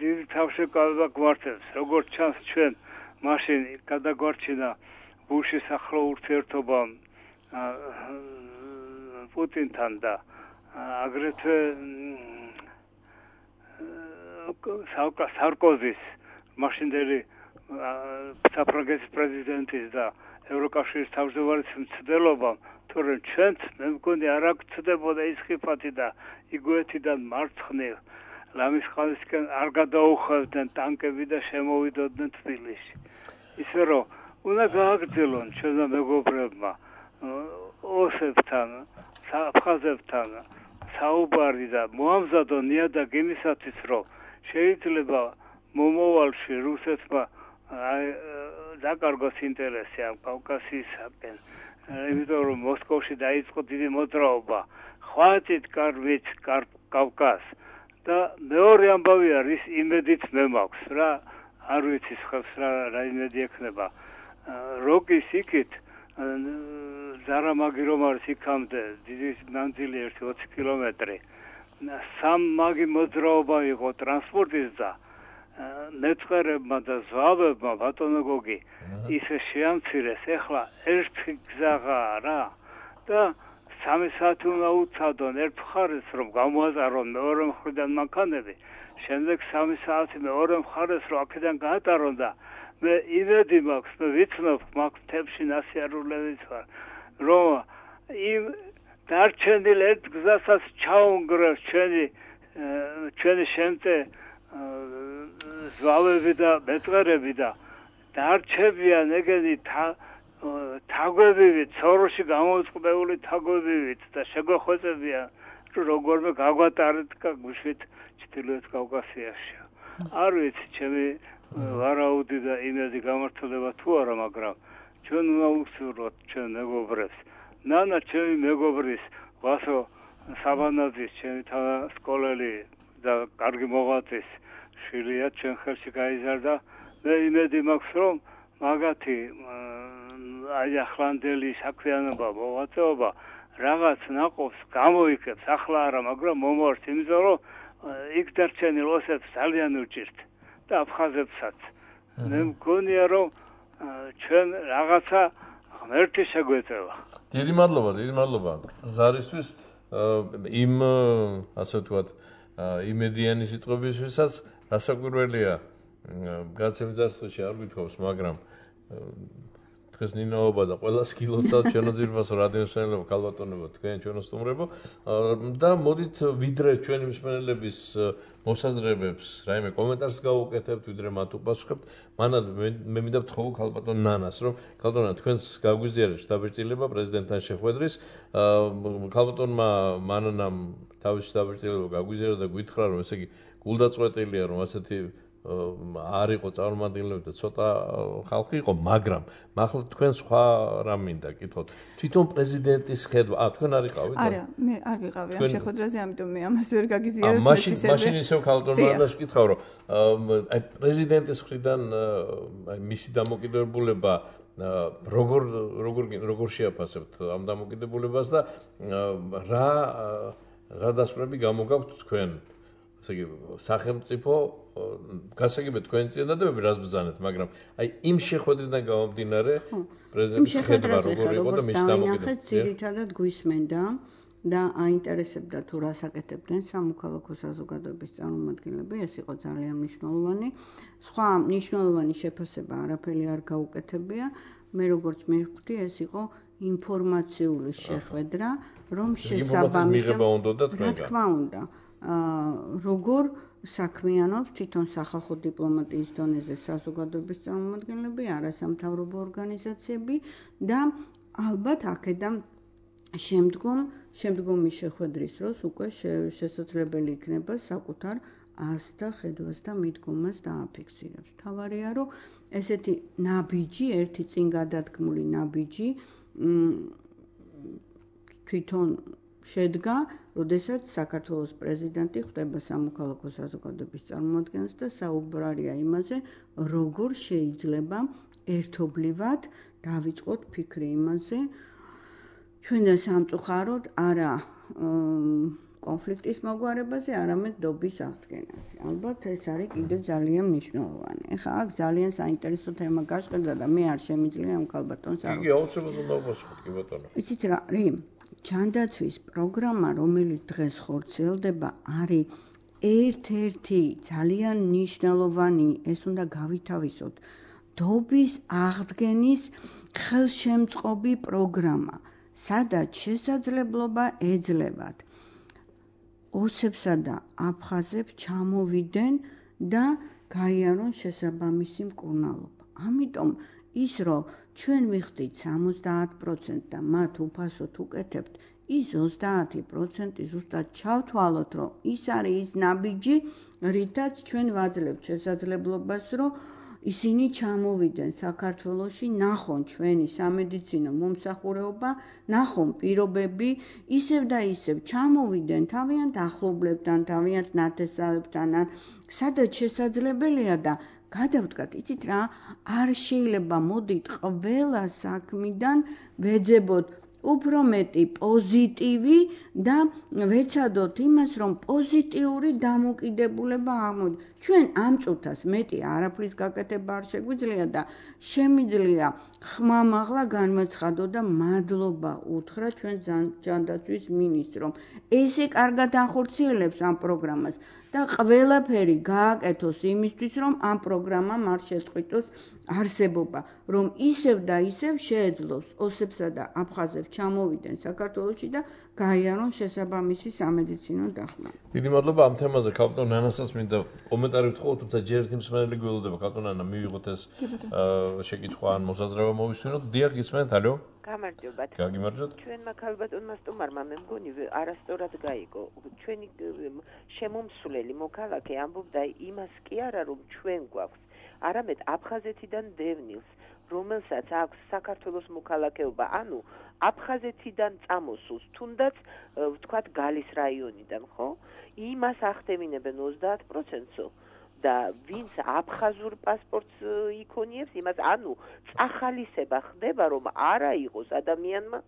[SPEAKER 5] დიდი თავშეკავება გვართებს როგორც ჩანს ჩვენ მაშინ გადაგვარჩინა ბუშის ახლო ურთიერთობამ პუტინთან და აგრეთვე სარკოზის მაშინდელი საფრანგეთის პრეზიდენტის და ევროკავშირის თავმჯდომარის მცდელობამ თორემ ჩვენც მე მგონი არ აქცდებოდა ის ხიფათი და იგივეთიდან მარცხნივ ლამისყალისკენ არ გადაუხევდნენ ტანკები და შემოვიდოდნენ თბილისში ისე რომ უნდა გააგრძელონ ჩვენმა მეგობრებმა ოსებთან აფხაზებთან საუბარი და მოამზადონ ნიადაგ იმისათვის რომ შეიძლება მომავალში რუსეთმა დაკარგოს ინტერესი ამ კავკასიისაკენ იმიტომ რომ მოსკოვში დაიწყო დიდი მოძრაობა ხვატით კარვით კავკას და მეორე ამბავია რის იმედით მე მაქვს რა არ ვიცი ხებს რა იმედი ექნება როკის იქით ზარამაგი რომ არის იქამდე დიდი მანძილი 20 კილომეტრი სამ მაგი მოძრაობა იყო ტრანსპორტის და მეწყერებმა და ზვავებმა ბატონო გოგი ისე შეამცირეს ეხლა ერთი გზაა რა და 3 საათი უნდა უცადონ ერთ მხარეს რომ გამოაზარონ მეორე მხრიდან მანქანები შემდეგ 3 საათი მეორე მხარეს რომ აქედან გაატარონ და მე იმედი მაქვს მე ვიცნობ მაგ თებში ნასიარულებით ვარ რომ იმ დარჩენილ ერთ გზასაც ჩაუნგრევს ჩვენი შემტე ზვავები და მეწყერები და დარჩებიან ეგენი თაგვებივით სოროში გამოწყდეული თაგვებივით და შეგვეხვეწებიან რომ როგორმე გაგვატარეთ გუშვით ჩრდილოეთ კავკასიაში არ ვიცი ჩემი ვარაუდი და იმედი გამართლდება თუ არა მაგრამ ჩვენ უნდა ვუსურვოთ ჩვენ მეგობრებს ნანა ჩემი მეგობრის ვასო საბანაძის ჩემი სკოლელი და კარგი მოღვაწის შვილია ჩვენ ხელში გაიზარდა მე იმედი მაქვს რომ მაგათი აი ახლანდელი საქმიანობა მოღვაწეობა რაღაც ნაყოფს გამოიქებს ახლა არა მაგრამ მომავალში იმიტომ რომ იქ დარჩენილ ოსებს ძალიან უჭირთ და აფხაზებსაც მე მგონია რომ ჩვენ რაღაცა ღმერთი შეგვეწევა
[SPEAKER 2] დიდი მადლობა ზარისთვის იმ ასე ვთქვათ იმედიანი სიტყვებისთვისაც რასაკვირველია გაცემის დასწრებში არ გვითხოვს მაგრამ დღეს ნინაობა და ყველა სკილოსაც ჩვენოძირფასო რადიოსმენელობა ქალბატონებო თქვენ ჩვენო სტუმრებო და მოდით ვიდრე ჩვენი მსმენელების მოსაზრებებს რაიმე კომენტარს გავუკეთებთ ვიდრე მათ უპასუხებთ მანამდე მე მინდა ვთხოვო ქალბატონ ნანას რომ ქალბატონა თქვენს გაგვიზიარეთ დაბეჭდილება პრეზიდენტთან შეხვედრის ქალბატონმა მანანამ თავის დაბეჭდილება გაგვიზიარა და გითხრა რომ ესე იგი გულდაწყვეტილია რომ ასეთი არ იყო წარმომადგენლები და ცოტა ხალხი იყო, მაგრამ მართლა თქვენ სხვა რამ მინდა კითხოთ. თვითონ პრეზიდენტის ხედვა, თქვენ არ იყავით?
[SPEAKER 1] არა, მე არ ვიყავი ამ შეხვედრაზე, ამიტომ მე ამას ვერ გაგიზიარებ.
[SPEAKER 2] მაშინ ისევ ქალბატონს ვკითხავ, რომ აი პრეზიდენტის მხრიდან აი მისი დამოკიდებულება როგორ შეაფასებთ ამ დამოკიდებულებას და რა დასკვნები გამოგაქვთ თქვენ? ესე იგი სახელმწიფო გასაგებია თქვენი წინადადებები რას ბრძანეთ, მაგრამ აი იმ შეხვედრიდან გამომდინარე პრეზიდენტის ხედვა როგორ იყო და მის დამოკიდებულება.
[SPEAKER 3] ძირითადად გვისმენდა და აინტერესებდა თუ რას აკეთებდნენ სამოქალაქო საზოგადოების წარმომადგენლები, ეს იყო ძალიან მნიშვნელოვანი. სხვა მნიშვნელოვანი შეფასება არაფერი არ გაუკეთებია. მე როგორც მივხვდი, ეს იყო ინფორმაციული შეხვედრა, რომ შესაბამისად რა თქმა უნდა როგორ საქმიანობს თვითონ სახალხო დიპლომატიის დონეზე საზოგადოების წარმომადგენლები, არასამთავრობო ორგანიზაციები და ალბათ აქედან შემდგომი შეხვედრის დროს უკვე შესაძლებელი იქნება საკუთარ ას და ხედვას და მიდგომას დააფიქსირებს. თავარია რომ ესეთი ნაბიჯი, ერთი წინ გადადგმული ნაბიჯი თვითონ შედგა, როდესაც საქართველოს პრეზიდენტი ხვდება სამოქალაქო საზოგადოების წარმომადგენელს და საუბარია იმაზე, როგორ შეიძლება ერთობლივად დავიწყოთ ფიქრი იმაზე, ჩვენ და სამწუხაროდ არა კონფლიქტის მოგვარებაზე, არამედ დობის აღდგენაზე. ალბათ ეს არის კიდევ ძალიან მნიშვნელოვანი. ეხლა აქ ძალიან საინტერესო თემა გაშყერდა და მე არ შემიძლია ამ ქალბატონს არ.
[SPEAKER 2] იგი აუცილებლად უნდა მოსხოთ, კი ბატონო.
[SPEAKER 3] იცით რა, ჩანდაცვის პროგრამა, რომელიც დღეს ხორციელდება, არის ერთ-ერთი ძალიან მნიშვნელოვანი, ეს უნდა გავითავისოთ, დობის აღდგენის ხელშემწყობი პროგრამა, სადაც შესაძლებლობა ეძლევათ ოსებსა და აფხაზებს ჩამოვიდნენ და გაიარონ შესაბამისი მკურნალობა. ამიტომ ის, რომ ჩვენ ვიხდით 70% და მათ უფასოდ უკეთებთ, ის 30% ზუსტად ჩავთვალოთ, რომ ის არის ის ნაბიჯი, რითაც ჩვენ ვაძლევთ შესაძლებლობას, რომ ისინი ჩამოვიდნენ საქართველოში, ნახონ ჩვენი სამედიცინო მომსახურება, ნახონ პირობები, ისევ და ისევ ჩამოვიდნენ თავიანთ ახლობლებთან, თავიანთ ნათესავებთან, სადაც შესაძლებელია და გადავდგათ, იცით რა, არ შეიძლება მოდით ყველა საქმიდან ვეძებოთ უფრო მეტი პოზიტივი და ვეცადოთ იმას, რომ პოზიტიური დამოკიდებულება აღმოჩნდეს. ჩვენ ამ წუთას მეტი არაფრის გაკეთება არ შეგვიძლია და შემიძლია ხმამაღლა განვაცხადო და მადლობა უთხრა ჩვენ ჯანდაცვის მინისტრომ. ესე კარგად ახორციელებს ამ პროგრამას და ყველაფერი გააკეთოს იმისთვის, რომ ამ პროგრამამ არ შეწყვიტოს არსებობა, რომ ისევ და ისევ შეეძლოს ოსებსა და აფხაზებს ჩამოვიდნენ საქართველოში და გაიარონ შესაბამისი სამედიცინო დახმარება.
[SPEAKER 2] დიდი მადლობა ამ თემაზე ქალბატონ ნანასაც მინდა კომენტარი ვთხოვოთ, თუმცა ჯერ ერთი მსმენელი გველოდება ქალბატონ ნანა, მივიღოთ ეს შეკითხვა ან მოსაზრება მოვისმინოთ. დიახ, გისმენთ, ალო?
[SPEAKER 6] გამარჯობათ.
[SPEAKER 2] გაგიმარჯოთ.
[SPEAKER 6] ჩვენმა ქალბატონმა სტუმარმა მე მგონი არასწორად გაიგო. ჩვენი შემომსვლელი მოქალაქე ამბობდა იმას კი არა, რომ ჩვენ გვაქვს, არამედ აფხაზეთიდან დევნილს, რომელსაც აქვს საქართველოს მოქალაქეობა, ანუ აფხაზეთიდან წამოსულს, თუნდაც ვთქვათ გალის რაიონიდან, ხო? იმას ახდემინებენ 30%-ო და ვინც აფხაზურ პასპორტს იქონიებს, იმას ანუ წახალისება ხდება, რომ არა იყოს ადამიანმა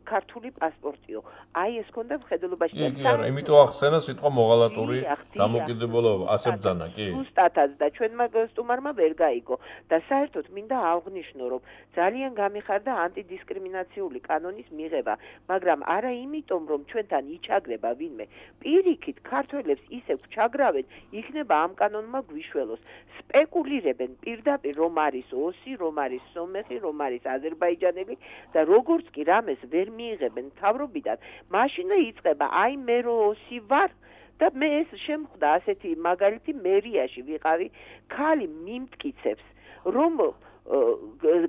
[SPEAKER 6] ქართული პასპორტიო. აი ეს ქონდა მხედველობაში.
[SPEAKER 2] კი, არა, იმიტომ ახსენა სიტყვა მოღალატური დამოკიდებულება, ასე ბძანა, კი.
[SPEAKER 6] ზუსტადაც და ჩვენმა სტუმარმა ვერ გაიგო და საერთოდ მინდა აღვნიშნო, რომ ძალიან გამიხარდა ანტიდისკრიმინაციული კანონის მიღება, მაგრამ არა იმიტომ, რომ ჩვენთან იჩაგრება ვინმე. პირიქით, ქართველებს ისევ ჩაგრავენ, იქნება ამ კანონმა გვიშველოს. სპეკულირებენ პირდაპირ, რომ არის ოსი, რომ არის სომეხი, რომ არის აზერბაიჯანელი და როგორც კი რამეს ვერ მიიღებენ მთავრობიდან, მაშინვე იწყება, აი მე რო ოსი ვარ და მე ეს შემხვდა ასეთი მაგალითი მერიაში ვიყავი, ქალი მიმტკიცებს, რომ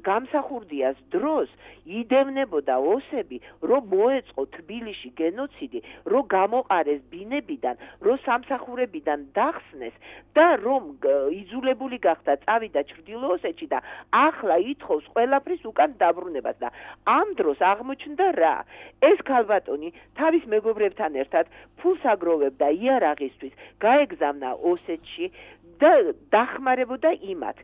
[SPEAKER 6] გამსახურდიას დროს იდევნებოდა ოსები, რომ მოეწყო თბილისში გენოციდი, რომ გამოყარეს ბინებიდან, რომ სამსახურებიდან დახსნეს და რომ იძულებული გახდა წავიდა ჩრდილოოსეთში და ახლა ითხოვს ყველაფრის უკან დაბრუნებას და ამ დროს აღმოჩნდა რა? ეს ქალბატონი თავის მეგობრებთან ერთად ფულს აგროვებდა იარაღისთვის, გაეგზავნა ოსეთში და დახმარებოდა იმათ.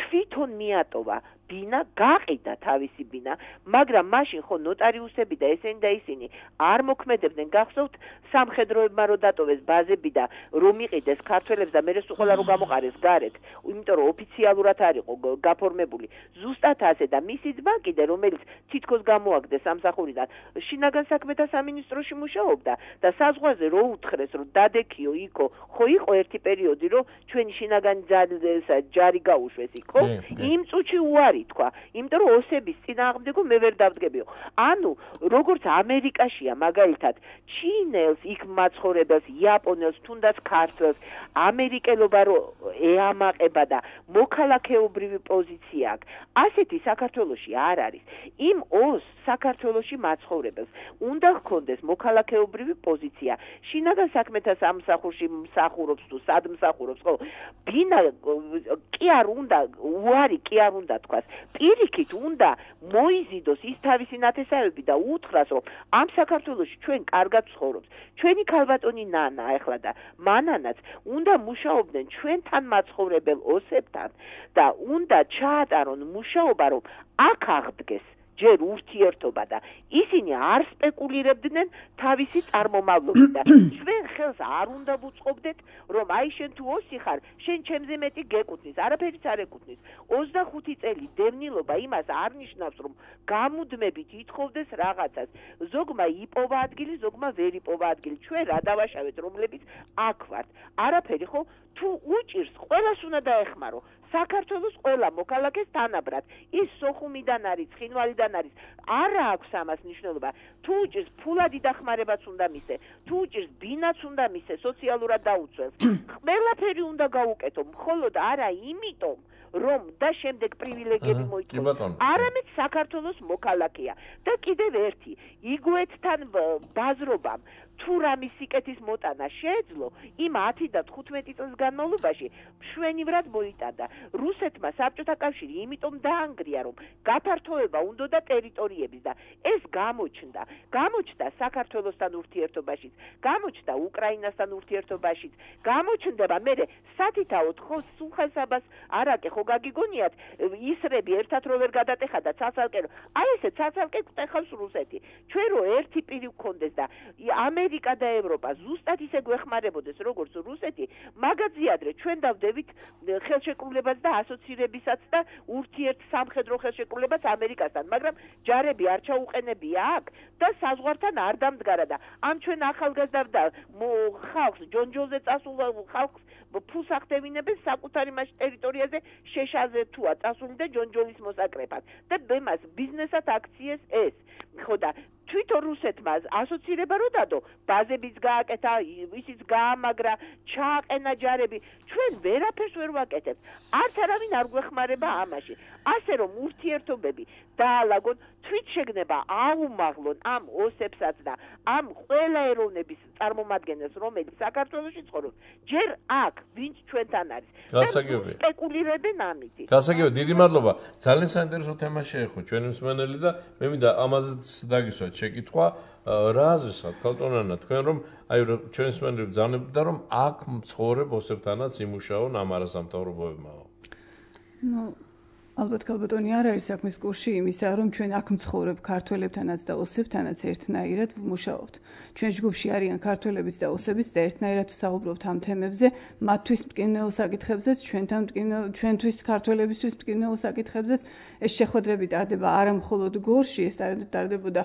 [SPEAKER 6] თვითონ მიატოვა ბინა, გაყიდა თავისი ბინა, მაგრამ მაშინ ხო ნოტარიუსები და ესენი და ისინი არ მოქმედებდნენ, გახსოვთ სამხედროებმა რო დატოვეს ბაზები და რომ იყიდეს ქართველებს და მერე სულ რო გამოყარეს გარეთ, იმიტომ რომ ოფიციალურად არ იყო გაფორმებული. ზუსტად ასე და მისი ძმა კიდე, რომელიც თითქოს გამოაგდეს სამსახურიდან, შინაგან საქმეთა სამინისტროში მუშაობდა და საზღვარზე რო უთხრეს, რომ დადექიო იქო, ხო იყო ერთი პერიოდი, რომ ჩვენი შინაგანი ჯარი გაუშვეს იქო, იმ წუთში უარი თქვა, იმიტომ რომ ოსების წინააღმდეგო მე ვერ დავდგებიო. ანუ როგორც ამერიკაშია მაგალითად ჩინელს, იქ მაცხოვრებელს, იაპონელს, თუნდაც ქართველს ამერიკელობა რო ეამაყება და მოქალაქეობრივი პოზიცია აქვს, ასეთი საქართველოში არ არის. იმ ოს საქართველოში მაცხოვრებელს უნდა ჰქონდეს მოქალაქეობრივი პოზიცია. შინაგან საქმეთა სამსახურში მსახურობს თუ სად მსახურობს, ხო? ბინა კი არ უნდა, უარი კი არ უნდა თქვას. პირიქით უნდა მოიზიდოს ის თავისი ნათესავები და უთხრას, რომ ამ საქართველოში ჩვენ კარგად ცხოვრობს. ჩვენი ქალბატონი ნანა ახლა და მანანაც უნდა მუშაობდნენ ჩვენთან მაცხოვრებელ ოსებთან და უნდა ჩაატარონ მუშაობა, რომ აქ აღდგეს ჯერ ურთიერთობა და ისინი არ სპეკულირებდნენ თავისი წარმომავლობით და ჩვენ ხელს არ უნდა ვუწყობდეთ, რომ აი შენ თუ ოსი ხარ, შენ ჩემზე მეტი გეკუთვნის, არაფერიც არ ეკუთვნის. 25 წელი დევნილობა იმას არ ნიშნავს, რომ გამუდმებით ითხოვდეს რაღაცას. ზოგმა იპოვა ადგილი, ზოგმა ვერ იპოვა ადგილი. ჩვენ რა დავაშავეთ, რომლებიც აქ ვართ. არაფერი ხო? თუ უჭირს, ყველას უნდა დაეხმარო. საქართველოს ყველა მოქალაქეს თანაბრად. ის სოხუმიდან არის, ცხინვალიდან არის. არა აქვს ამას მნიშვნელობა. თუ უჭირს, ფულადი დახმარებაც უნდა მისცე. თუ უჭირს, ბინაც უნდა მისცე, სოციალურად დაუცველს. ყველაფერი უნდა გაუკეთო, მხოლოდ არა იმიტომ, რომ და შემდეგ პრივილეგიები მოიწონოს. არამედ საქართველოს მოქალაქეა. და კიდევ ერთი, იგუეთთან ბაზრობამ თუ რამის სიკეთის მოტანა შეეძლო, იმ 10 და 15 წელს განმავლობაში მშვენივრად მოიტანდა. რუსეთმა საბჭოთა კავშირი იმიტომ დაანგრია, რომ გაფართოება უნდოდა ტერიტორიების და ეს გამოჩნდა საქართველოსთან ურთიერთობაშიც, გამოჩნდა უკრაინასთან ურთიერთობაშიც, გამოჩნდება მერე სათითაოდ ხო სულხესაბას არაკე ხო გაგიგონიათ ისრები ერთად რო ვერ გადატეხა და ცალ-ცალკე აი ესე ცალ-ცალკე გტეხავს რუსეთი. ჩვენ რო ერთი პირი გქონდეს და ამერიკა და ევროპა ზუსტად ისე გვეხმარებოდეს როგორც რუსეთი, მაგაზე ადრე ჩვენ დავდებით ხელშეკრულებას და ასოცირებისაც და ურთიერთ სამხედრო ხელშეკრულებას ამერიკასთან, მაგრამ ჯარები არ ჩაუყენებია აქ და საზღვართან არ დამდგარა და ამ ჩვენ ახალგაზრდა ხალხს ჯონჯოლზე წასულ ხალხს ფულს ახდევინებენ საკუთარი მას ტერიტორიაზე შეშაზე თუა წასული და ჯონჯოლის მოსაკრეფად და ბემას ბიზნესად აქციეს ეს ხო და თვითონ რუსეთმა ასოცირება რო დადო, ბაზებიც გააკეთა, ისიც გაამაგრა, ჩააყენა ჯარები. ჩვენ ვერაფერს ვერ ვაკეთებთ. არც არავინ არ გვეხმარება ამაში. ასე რომ ურთიერთობები დაალაგონ, თვით შეგნება აუმაღლონ ამ ოსებსაც და ამ ყველა ეროვნების წარმომადგენელს, რომელიც საქართველოში ცხოვრობს, ჯერ აქ, ვინც ჩვენთან არის.
[SPEAKER 2] გასაგები.
[SPEAKER 6] სპეკულირებენ ამით.
[SPEAKER 2] გასაგები, დიდი მადლობა. ძალიან საინტერესო თემა შეეხო ჩვენი მსმენელი და მე მინდა ამაზეც დაგისვათ შეკითხვა, რა აზრისხართ ქალტონანა თქვენ რომ აი ჩვენი მსმენელი ბრძანებდა რომ აქ მცხოვრებ ოსებთანაც იმუშაონ ამ არასამთავრობოებმა.
[SPEAKER 1] ალბათ ქალბატონი არ არის საქმის კურსში იმისა, რომ ჩვენ აქ მცხოვრებ ქართველებთანაც და ოსებთანაც ერთნაირად ვმუშაობთ. ჩვენ ჯგუფში არიან ქართველებიც და ოსებიც და ერთნაირად საუბრობთ ამ თემებზე, მათთვის მტკივნეულ საკითხებზეც, ჩვენთვის ქართველებისთვის მტკივნეულ საკითხებზეც. ეს შეხვედრები ტარდება არა მხოლოდ გორში, ეს ტარდებოდა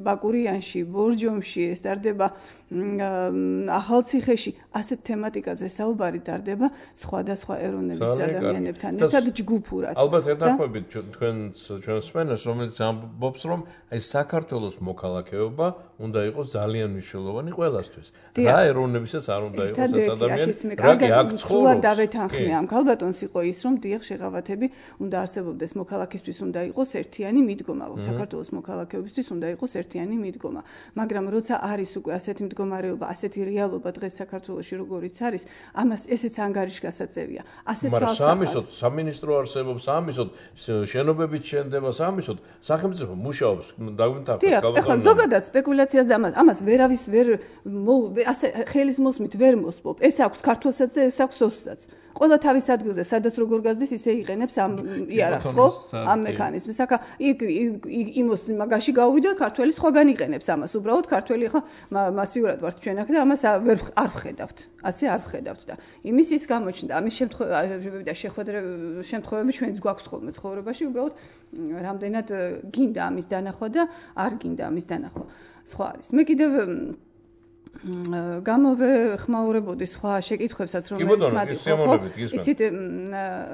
[SPEAKER 1] ბაკურიანში, ბორჯომში, ეს ტარდება ახალციხეში, ასეთ თემატიკაზე საუბარი ტარდება სხვადასხვა ეროვნების ადამიანებთან ერთად ჯგუფურად.
[SPEAKER 2] ალბათ ეთანხმებით ჩვენს სპენელს, რომელიც ამბობს, რომ აი საქართველოს მოქალაქეობა უნდა იყოს ძალიან მნიშვნელოვანი ყველასთვის. რა ეროვნებისაც არ უნდა იყოს ეს ადამიანი, რაგი აქ ცხოვრობს.
[SPEAKER 1] დავეთანხმე ამ ქალბატონს იყო ის, რომ დიახ შეღავათები უნდა არსებობდეს მოქალაქისთვის უნდა იყოს ერთიანი მიდგომა, საქართველოს მოქალაქეობისთვის უნდა იყოს ერთიანი მიდგომა. მაგრამ როცა არის უკვე ასეთი მდგომარეობა, ასეთი რეალობა დღეს საქართველოში როგორიც არის, ამას ესეც ანგარიშგასაწევია. ასეთ
[SPEAKER 2] სამისოდ სამინისტრო არსებობს, სამისოდ შენობებით შენდება, სამისოდ სახელმწიფო მუშაობს, დაგვინთავეთ
[SPEAKER 1] ქალბატონო. ეხლა ზოგადად სპეკულაციას და ამას ვერავის ასე ხელის მოსმით ვერ მოსპობ. ეს აქვს ქართველსაც და ეს აქვს ოსსაც. ყველა თავის ადგილზე, სადაც როგორ გაზდეს, ისე იყენებს ამ იარაღს, ხო? ამ მექანიზმს. აქ იმოს მაგაში გავიდა, ქართველი სხვაგან იყენებს ამას. უბრალოდ ქართველი ხა მასიურად ვართ ჩვენ აქ და ამას არ ვხედავთ. ასე არ ვხედავთ და იმის ის გამოჩნდა. ამის შემთხვევები ჩვენც გვაქვს ხოლმე ცხოვრებაში, უბრალოდ რამდენად გინდა ამის დანახვა და არ გინდა ამის დანახვა. სხვა არის. მე კიდევ გამოვეხმაურებოდი სხვა შეკითხვებსაც, რომელიც მათ იყო. იცით,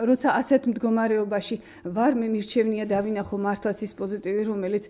[SPEAKER 1] როცა ასეთ მდგომარეობაში ვარ, მე მირჩევნია დავინახო მართლაც ის პოზიტივი, რომელიც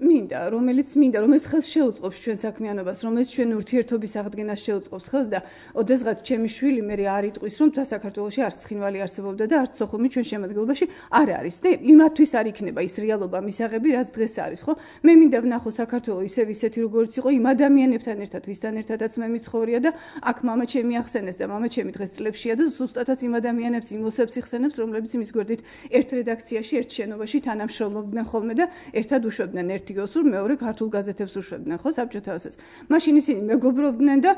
[SPEAKER 1] რომელიც ხელს შეუწყობს ჩვენ საქმიანობას, რომელიც ჩვენ ურთიერთობის აღდგენას შეუწყობს ხელს და ოდესღაც ჩემი შვილი მე არ იტყვის, რომ საქართველოში არც ცხინვალი არსებობდა და არც სოხუმი ჩვენ შემადგენლობაში არ არის. და იმათთვის არ იქნება ის რეალობა მისაღები, რაც დღეს არის, ხო? მე მინდა ვნახო საქართველო ისეთი როგორც იყო იმ ადამიანებს ვინმესებთან ერთად, ვისთან ერთადაც მე მიცხოვრია და აქ მამა ჩემი ახსენეს და მამა ჩემი დღეს წლებშია და ზუსტადაც იმ ადამიანებს, იმ ოსებს იხსენებს, რომლებიც იმის გვერდით ერთ რედაქციაში, ერთ შენობაში თანამშრომლობდნენ ხოლმე და ერთად უშვებდნენ ერთი ოსურ, მეორე ქართულ გაზეთებს უშვებდნენ, ხო, საბჭოთა ოსებს. მაშინ ისინი მეგობრობდნენ და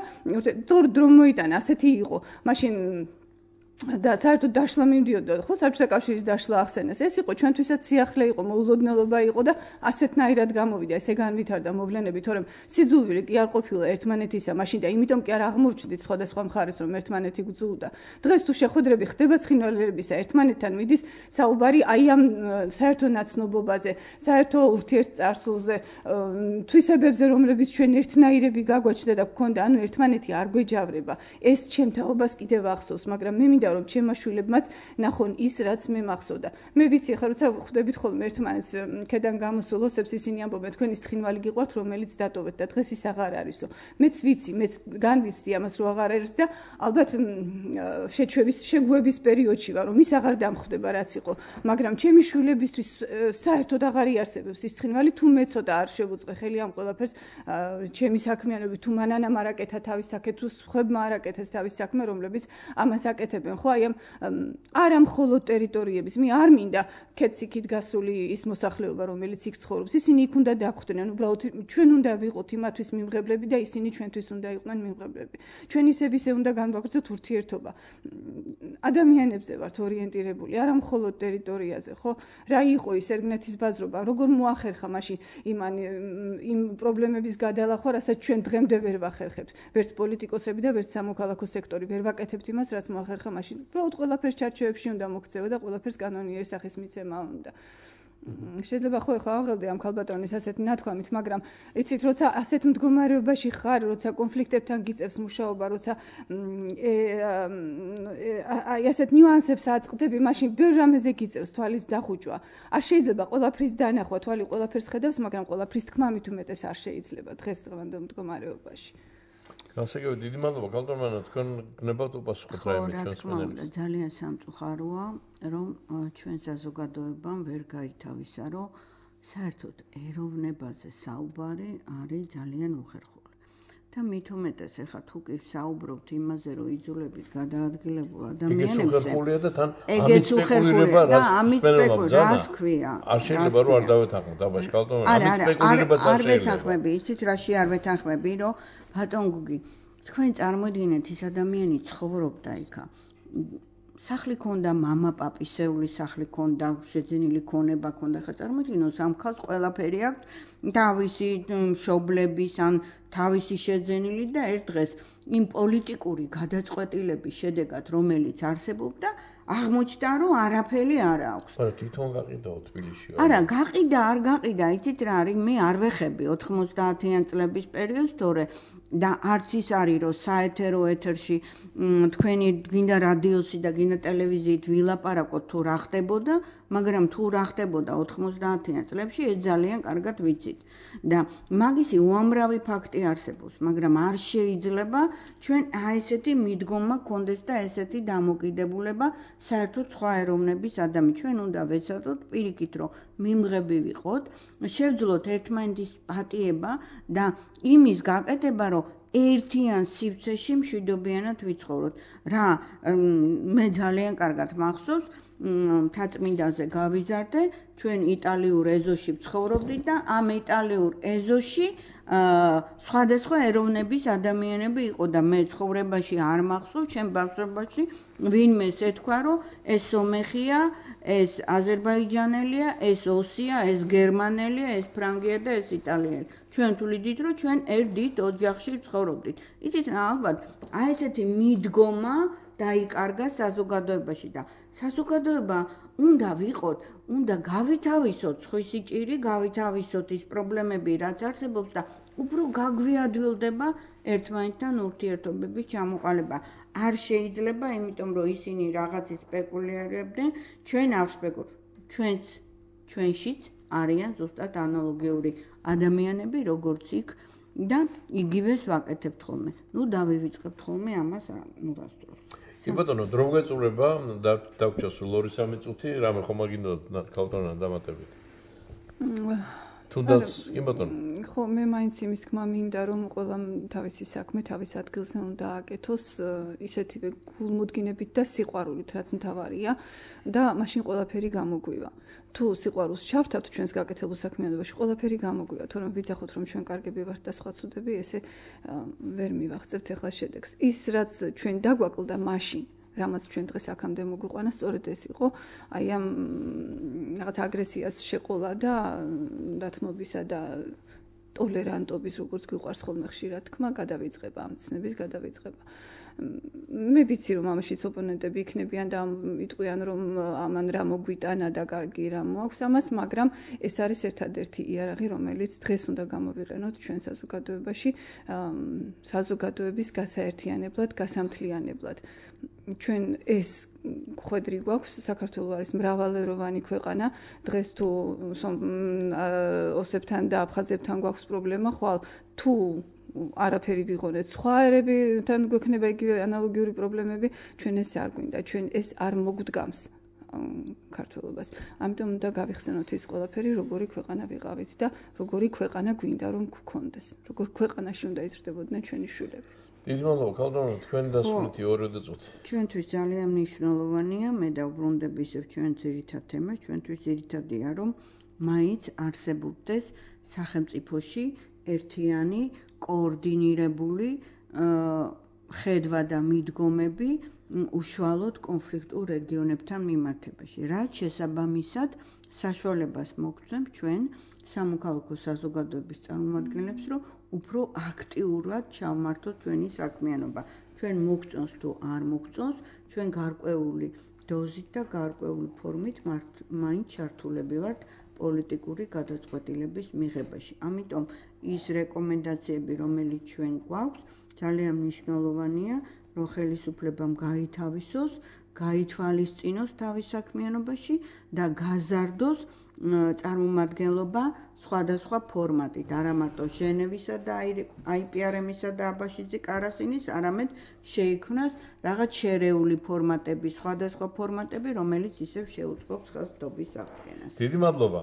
[SPEAKER 1] დრო მოიტანა, ასეთი იყო. მაშინ და საერთოდ დაშლა მივდიოდა, ხო, საბჭოთა კავშირის დაშლა ახსენეს. ეს იყო ჩვენთვისაც სიახლე იყო, მოულოდნელობა იყო და ასეთნაირად გამოვიდა, ესე განვითარდა მოვლენები, თორემ სიძულვილი კი არ ყოფილა ერთმანეთისა, მაშინ და იმიტომ კი არ აღმოჩნდით სხვადასხვა მხარეს, რომ ერთმანეთი გძულდა. დღეს თუ შეხვედრები ხდება ცხინვალებისა, ერთმანეთთან მიდის საუბარი აი ამ საერთო ნაცნობობაზე, საერთო ურთიერთწარსულზე, თვისებებზე, რომლებიც ჩვენ ერთნაირები გაგვაჩნდა და გქონდა, ანუ ერთმანეთი არ გვეჯავრება. ეს ჩემ თაობას კიდევ ახსოვს, მაგრამ მე მინდა რომ ჩემმა შვილებმაც ნახონ ის, რაც მე მახსოვდა. მე ვიცი, ხა როცა ხვდებით ხოლმე ერთმანეთს ქედან გამოსულ ოსებს, ისინი ამბობენ, თქვენი ცხინვალი გიყვართ, რომელიც დატოვეთ და დღეს ის აღარ არისო. მეც ვიცი, მეც განვიცდი ამას, რომ აღარ არის და ალბათ შეგვების პერიოდში ვარ, რომ ის აღარ დამხვდება, რაც იყო. მაგრამ ჩემი შვილებისთვის საერთოდ აღარ იარსებებს ის ცხინვალი, თუ მე ცოტა არ შევუწყე ხელი ამ ყველაფერს, ჩემი საქმიანობით, თუ მანანამ არ აკეთა თავის საქმე, თუ სხვებმა არ აკეთეს თავის საქმე, რომლებიც ამას აკეთებენ. ხო, აი ამ არა მხოლოდ ტერიტორიების, მე არ მინდა ქეციქით გასული ის მოსახლეობა, რომელიც იქ ცხოვრობს, ისინი იქ უნდა დაგვხვდნენ, უბრალოდ ჩვენ უნდა ვიყოთ იმათვის მიმღებლები და ისინი ჩვენთვის უნდა იყვნენ მიმღებლები. ჩვენ ისე უნდა განვაგრძოთ ურთიერთობა. ადამიანებზე ვართ ორიენტირებული, არა მხოლოდ ტერიტორიაზე, ხო? რა იყო ის ერგნეთის ბაზრობა, როგორ მოახერხა მაშინ იმ პრობლემების გადალახვა, რასაც ჩვენ დღემდე ვერ ვახერხებთ. ვერც პოლიტიკოსები და ვერც სამოქალაქო სექტორი ვერ ვაკეთებთ იმას, რაც მოახერხა მაშინ. უბრალოდ ყველაფერს ჩარჩოებში უნდა მოქცევა და ყველაფერს კანონიერი სახის მიცემა უნდა. შეიძლება ხო ეხლა აღელდე ამ ქალბატონის ასეთ ნათქვამით, მაგრამ იცით, როცა ასეთ მდგომარეობაში ხარ, როცა კონფლიქტებთან გიწევს მუშაობა, როცა აი ასეთ ნიუანსებს აწყდები, მაშინ ბევრ რამეზე გიწევს თვალის დახუჭვა. არ შეიძლება ყველაფრის დანახვა, თვალი ყველაფერს ხედავს, მაგრამ ყველაფრის თქმა მით უმეტეს არ შეიძლება დღესდღეობრივ მდგომარეობაში.
[SPEAKER 2] გასაგებია, დიდი მადლობა კალდორმანა, თქვენ გნებავთ უპასუხოთ რაიმე ჩვენს მენელს.
[SPEAKER 3] ძალიან სამწუხაროა, რომ ჩვენ საზოგადოებამ ვერ გაითავისა, რომ საერთოდ ეროვნებაზე საუბარი არის ძალიან უხერხული. და მით უმეტეს ახლა თუ კი საუბრობთ იმაზე, რომ იძულებით გადაადგილებულ ადამიანებზე,
[SPEAKER 2] ეგეც უხერხულია და თან ამით სპეკულირება რას ქვია? არ შეიძლება რომ არ დავეთანხმოთ, დაბაშ კალდორმანა, ამით სპეკულირებას არ შეიძლება.
[SPEAKER 3] არ ვეთანხმები, იცით რაში არ ვეთანხმები, რომ ბატონ გუგი, თქვენ წარმოიდგინეთ ის ადამიანი ცხოვრობდა იქა. სახლი ქონდა, მამა, პაპისეული სახლი ქონდა, შეძენილი ქონება ქონდა. ხა წარმოიდგინოთ, ამ ხალხს ყველაფერი აქვს, თავისი მშობლების ან თავისი შეძენილი და ერთ დღეს იმ პოლიტიკური გადაწყვეტილების შედეგად, რომელიც არსებობდა, აღმოჩნდა, რომ არაფერი არ აქვს.
[SPEAKER 2] არა, თვითონ გაყიდაო თბილისში.
[SPEAKER 3] არა, გაყიდა, არ გაყიდა, იცით რა არის, მე არ ვეხები 90-იან წლების პერიოდს, თორე და არც ის არის, რომ საეთერო ეთერში თქვენი გინდა რადიოსი და გინდა ტელევიზიით ვილაპარაკოთ თუ რა ხდებოდა, მაგრამ თუ რა ხდებოდა 90-იან წლებში, ეს ძალიან კარგად ვიცით. და მაგისი უამრავი ფაქტი არსებობს, მაგრამ არ შეიძლება ჩვენ ესეთი მიდგომა გქონდეს და ესეთი დამოკიდებულება საერთოდ სხვა ეროვნების ადამიანს. ჩვენ უნდა ვეცადოთ პირიქით, რომ მიმღები ვიყოთ, შევძლოთ ერთმანეთის პატიება და იმის გაკეთება, რომ ერთიან სივრცეში მშვიდობიანად ვიცხოვროთ. რა მე ძალიან კარგად მახსოვს, მთაწმინდაზე გავიზარდე, ჩვენ იტალიურ ეზოში ვცხოვრობდით და ამ იტალიურ ეზოში სხვადასხვა ეროვნების ადამიანები იყო და მე ცხოვრებაში არ მახსოვს, ჩემ ბავშვობაში ვინმე ეთქვა, რომ ეს სომეხია, ეს აზერბაიჯანელია, ეს ოსია, ეს გერმანელია, ეს ფრანგია და ეს იტალიელი. ჩვენ თვლიდით, რომ ჩვენ ერთ დიდ ოჯახში ვცხოვრობდით. იცით რა, ალბათ აი ესეთი მიდგომა დაიკარგა საზოგადოებაში და საზოგადოება უნდა ვიყოთ, უნდა გავითავისოთ სხვისი ჭირი, გავითავისოთ ის პრობლემები, რაც არსებობს და უფრო გაგვიადვილდება ერთმანეთთან ურთიერთობების ჩამოყალიბება. არ შეიძლება, იმიტომ რომ ისინი რაღაცის სპეკულირებდნენ, ჩვენ არ ვსპეკულირებთ. ჩვენშიც არიან ზუსტად ანალოგიური ადამიანები, როგორც იქ და იგივეს ვაკეთებთ ხოლმე. ნუ დავივიწყებთ ხოლმე ამას ნუღასდროს.
[SPEAKER 2] კი ბატონო, დრო გვეწურება, დავჭა სულ 2-3 წუთი, რამე ხომ აგინდათ კალდორმანა დამატებით. თუნდაც, კი ბატონო.
[SPEAKER 1] ხო, მე მაინც იმის თქმა მინდა, რომ ყველა თავისი საქმე თავის ადგილზე უნდა აკეთოს ისეთივე გულმოდგინებით და სიყვარულით, რაც მთავარია და მაშინ ყველაფერი გამოგვივა. თუ სიყვარულს ჩავთავთ ჩვენს გაკეთებულ საქმიანობაში, ყველაფერი გამოგვივა, თორემ ვიცახოთ, რომ ჩვენ კარგები ვართ და სხვა ცუდები, ესე ვერ მივახცევთ ახლა შედეგს. ის რაც ჩვენ დაგვაკლდა მაშინ რამაც ჩვენ დღეს აქამდე მოგვიყვანა, სწორედ ეს იყო, აი ამ რაღაც აგრესიას შეყოლა და დათმობისა და ტოლერანტობის, როგორც გვიყვარს ხოლმე ხშირად თქმა, გადავიწყება, ამ ცნების გადავიწყება. მე ვიცი, რომ ამაშიც ოპონენტები იქნებიან და იტყვიან, რომ ამან რა მოგვიტანა და კარგი რა მოაქვს ამას, მაგრამ ეს არის ერთადერთი იარაღი, რომელიც დღეს უნდა გამოვიყენოთ ჩვენ საზოგადოებაში, საზოგადოების გასაერთიანებლად, გასამთლიანებლად. ჩვენ ეს ხვედრი გვაქვს, საქართველო არის მრავალეროვანი ქვეყანა, დღეს თუ ოსებთან და აფხაზებთან გვაქვს პრობლემა, ხვალ თუ არაფერი ვიღონეთ, სხვა ერებთან გვექნება იგივე ანალოგიური პრობლემები, ჩვენ ეს არ გვინდა, ჩვენ ეს არ მოგდგამს ქართველობას. ამიტომ უნდა გავიხსენოთ ის ყველაფერი, როგორი ქვეყანა ვიყავით და როგორი ქვეყანა გვინდა რომ გქონდეს, როგორ ქვეყანაში უნდა იზრდებოდნენ ჩვენი შვილები.
[SPEAKER 2] დიდი მადლობა, ქალბატონო, თქვენ დასრულეთ 2 წუთი.
[SPEAKER 3] ჩვენთვის ძალიან მნიშვნელოვანია, მე დავბრუნდები ისევ ჩვენ ძირითად თემას, ჩვენთვის ძირითადია, რომ მაინც არსებობდეს სახელმწიფოში ერთიანი, კოორდინირებული ხედვა და მიდგომები უშუალოდ კონფლიქტურ რეგიონებთან მიმართებაში. რაც შესაბამისად საშუალებას მოგცემ ჩვენ სამოქალაქო საზოგადოების წარმომადგენლებს, რომ უფრო აქტიურად ჩავმართოთ ჩვენი საქმიანობა. ჩვენ მოგწონს თუ არ მოგწონს, ჩვენ გარკვეული დოზით და გარკვეული ფორმით მაინც ჩართულები ვართ პოლიტიკური გადაწყვეტილების მიღებაში. ამიტომ ის რეკომენდაციები, რომელიც ჩვენ გვაქვს, ძალიან მნიშვნელოვანია, რომ ხელისუფლებამ გაითავისოს, გაითვალისწინოს თავის საქმიანობაში და გაზარდოს წარმომადგენლობა სხვადასხვა ფორმატით, არა მარტო ჟენევისა და IPRM-ისა და აბაშიძე კარასინის, არამედ შეიქმნას რაღაც შერეული ფორმატები, სხვადასხვა ფორმატები, რომელიც ისევ შეუწყობს ხელისუფლების აღდგენას.
[SPEAKER 2] დიდი მადლობა.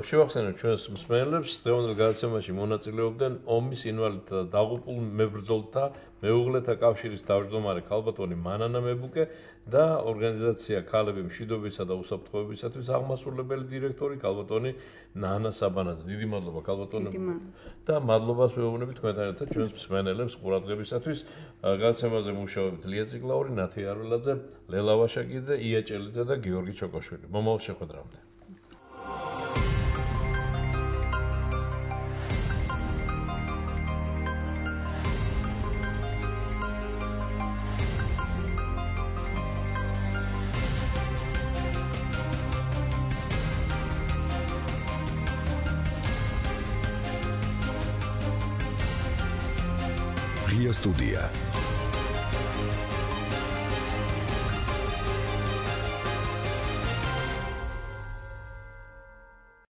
[SPEAKER 2] შევახსენებთ ჩვენს მსმენელებს, დღევანდელ გადაცემაში მონაწილეობდნენ ომის ინვალიდთა და დაღუპულ მებრძოლთა მეუღლეთა კავშირის თავმჯდომარე ქალბატონი მანანა მებუკე და ორგანიზაცია ქალები მშვიდობისა და უსაფრთხოებისათვის აღმასრულებელი დირექტორი ქალბატონი ნანა საბანაძე. დიდი მადლობა ქალბატონებო და მადლობას ვეუბნებით თქვენთან ერთად ჩვენს მსმენელებს ყურადღებისათვის. გადაცემაზე მუშაობთ ლია ციკლაური, ნათი არველაძე, ლელა ვაშაკიძე, ია ჭელიძე და გიორგი ჩოკოშვილი. მომავალ შეხვედრამდე.
[SPEAKER 7] Студия.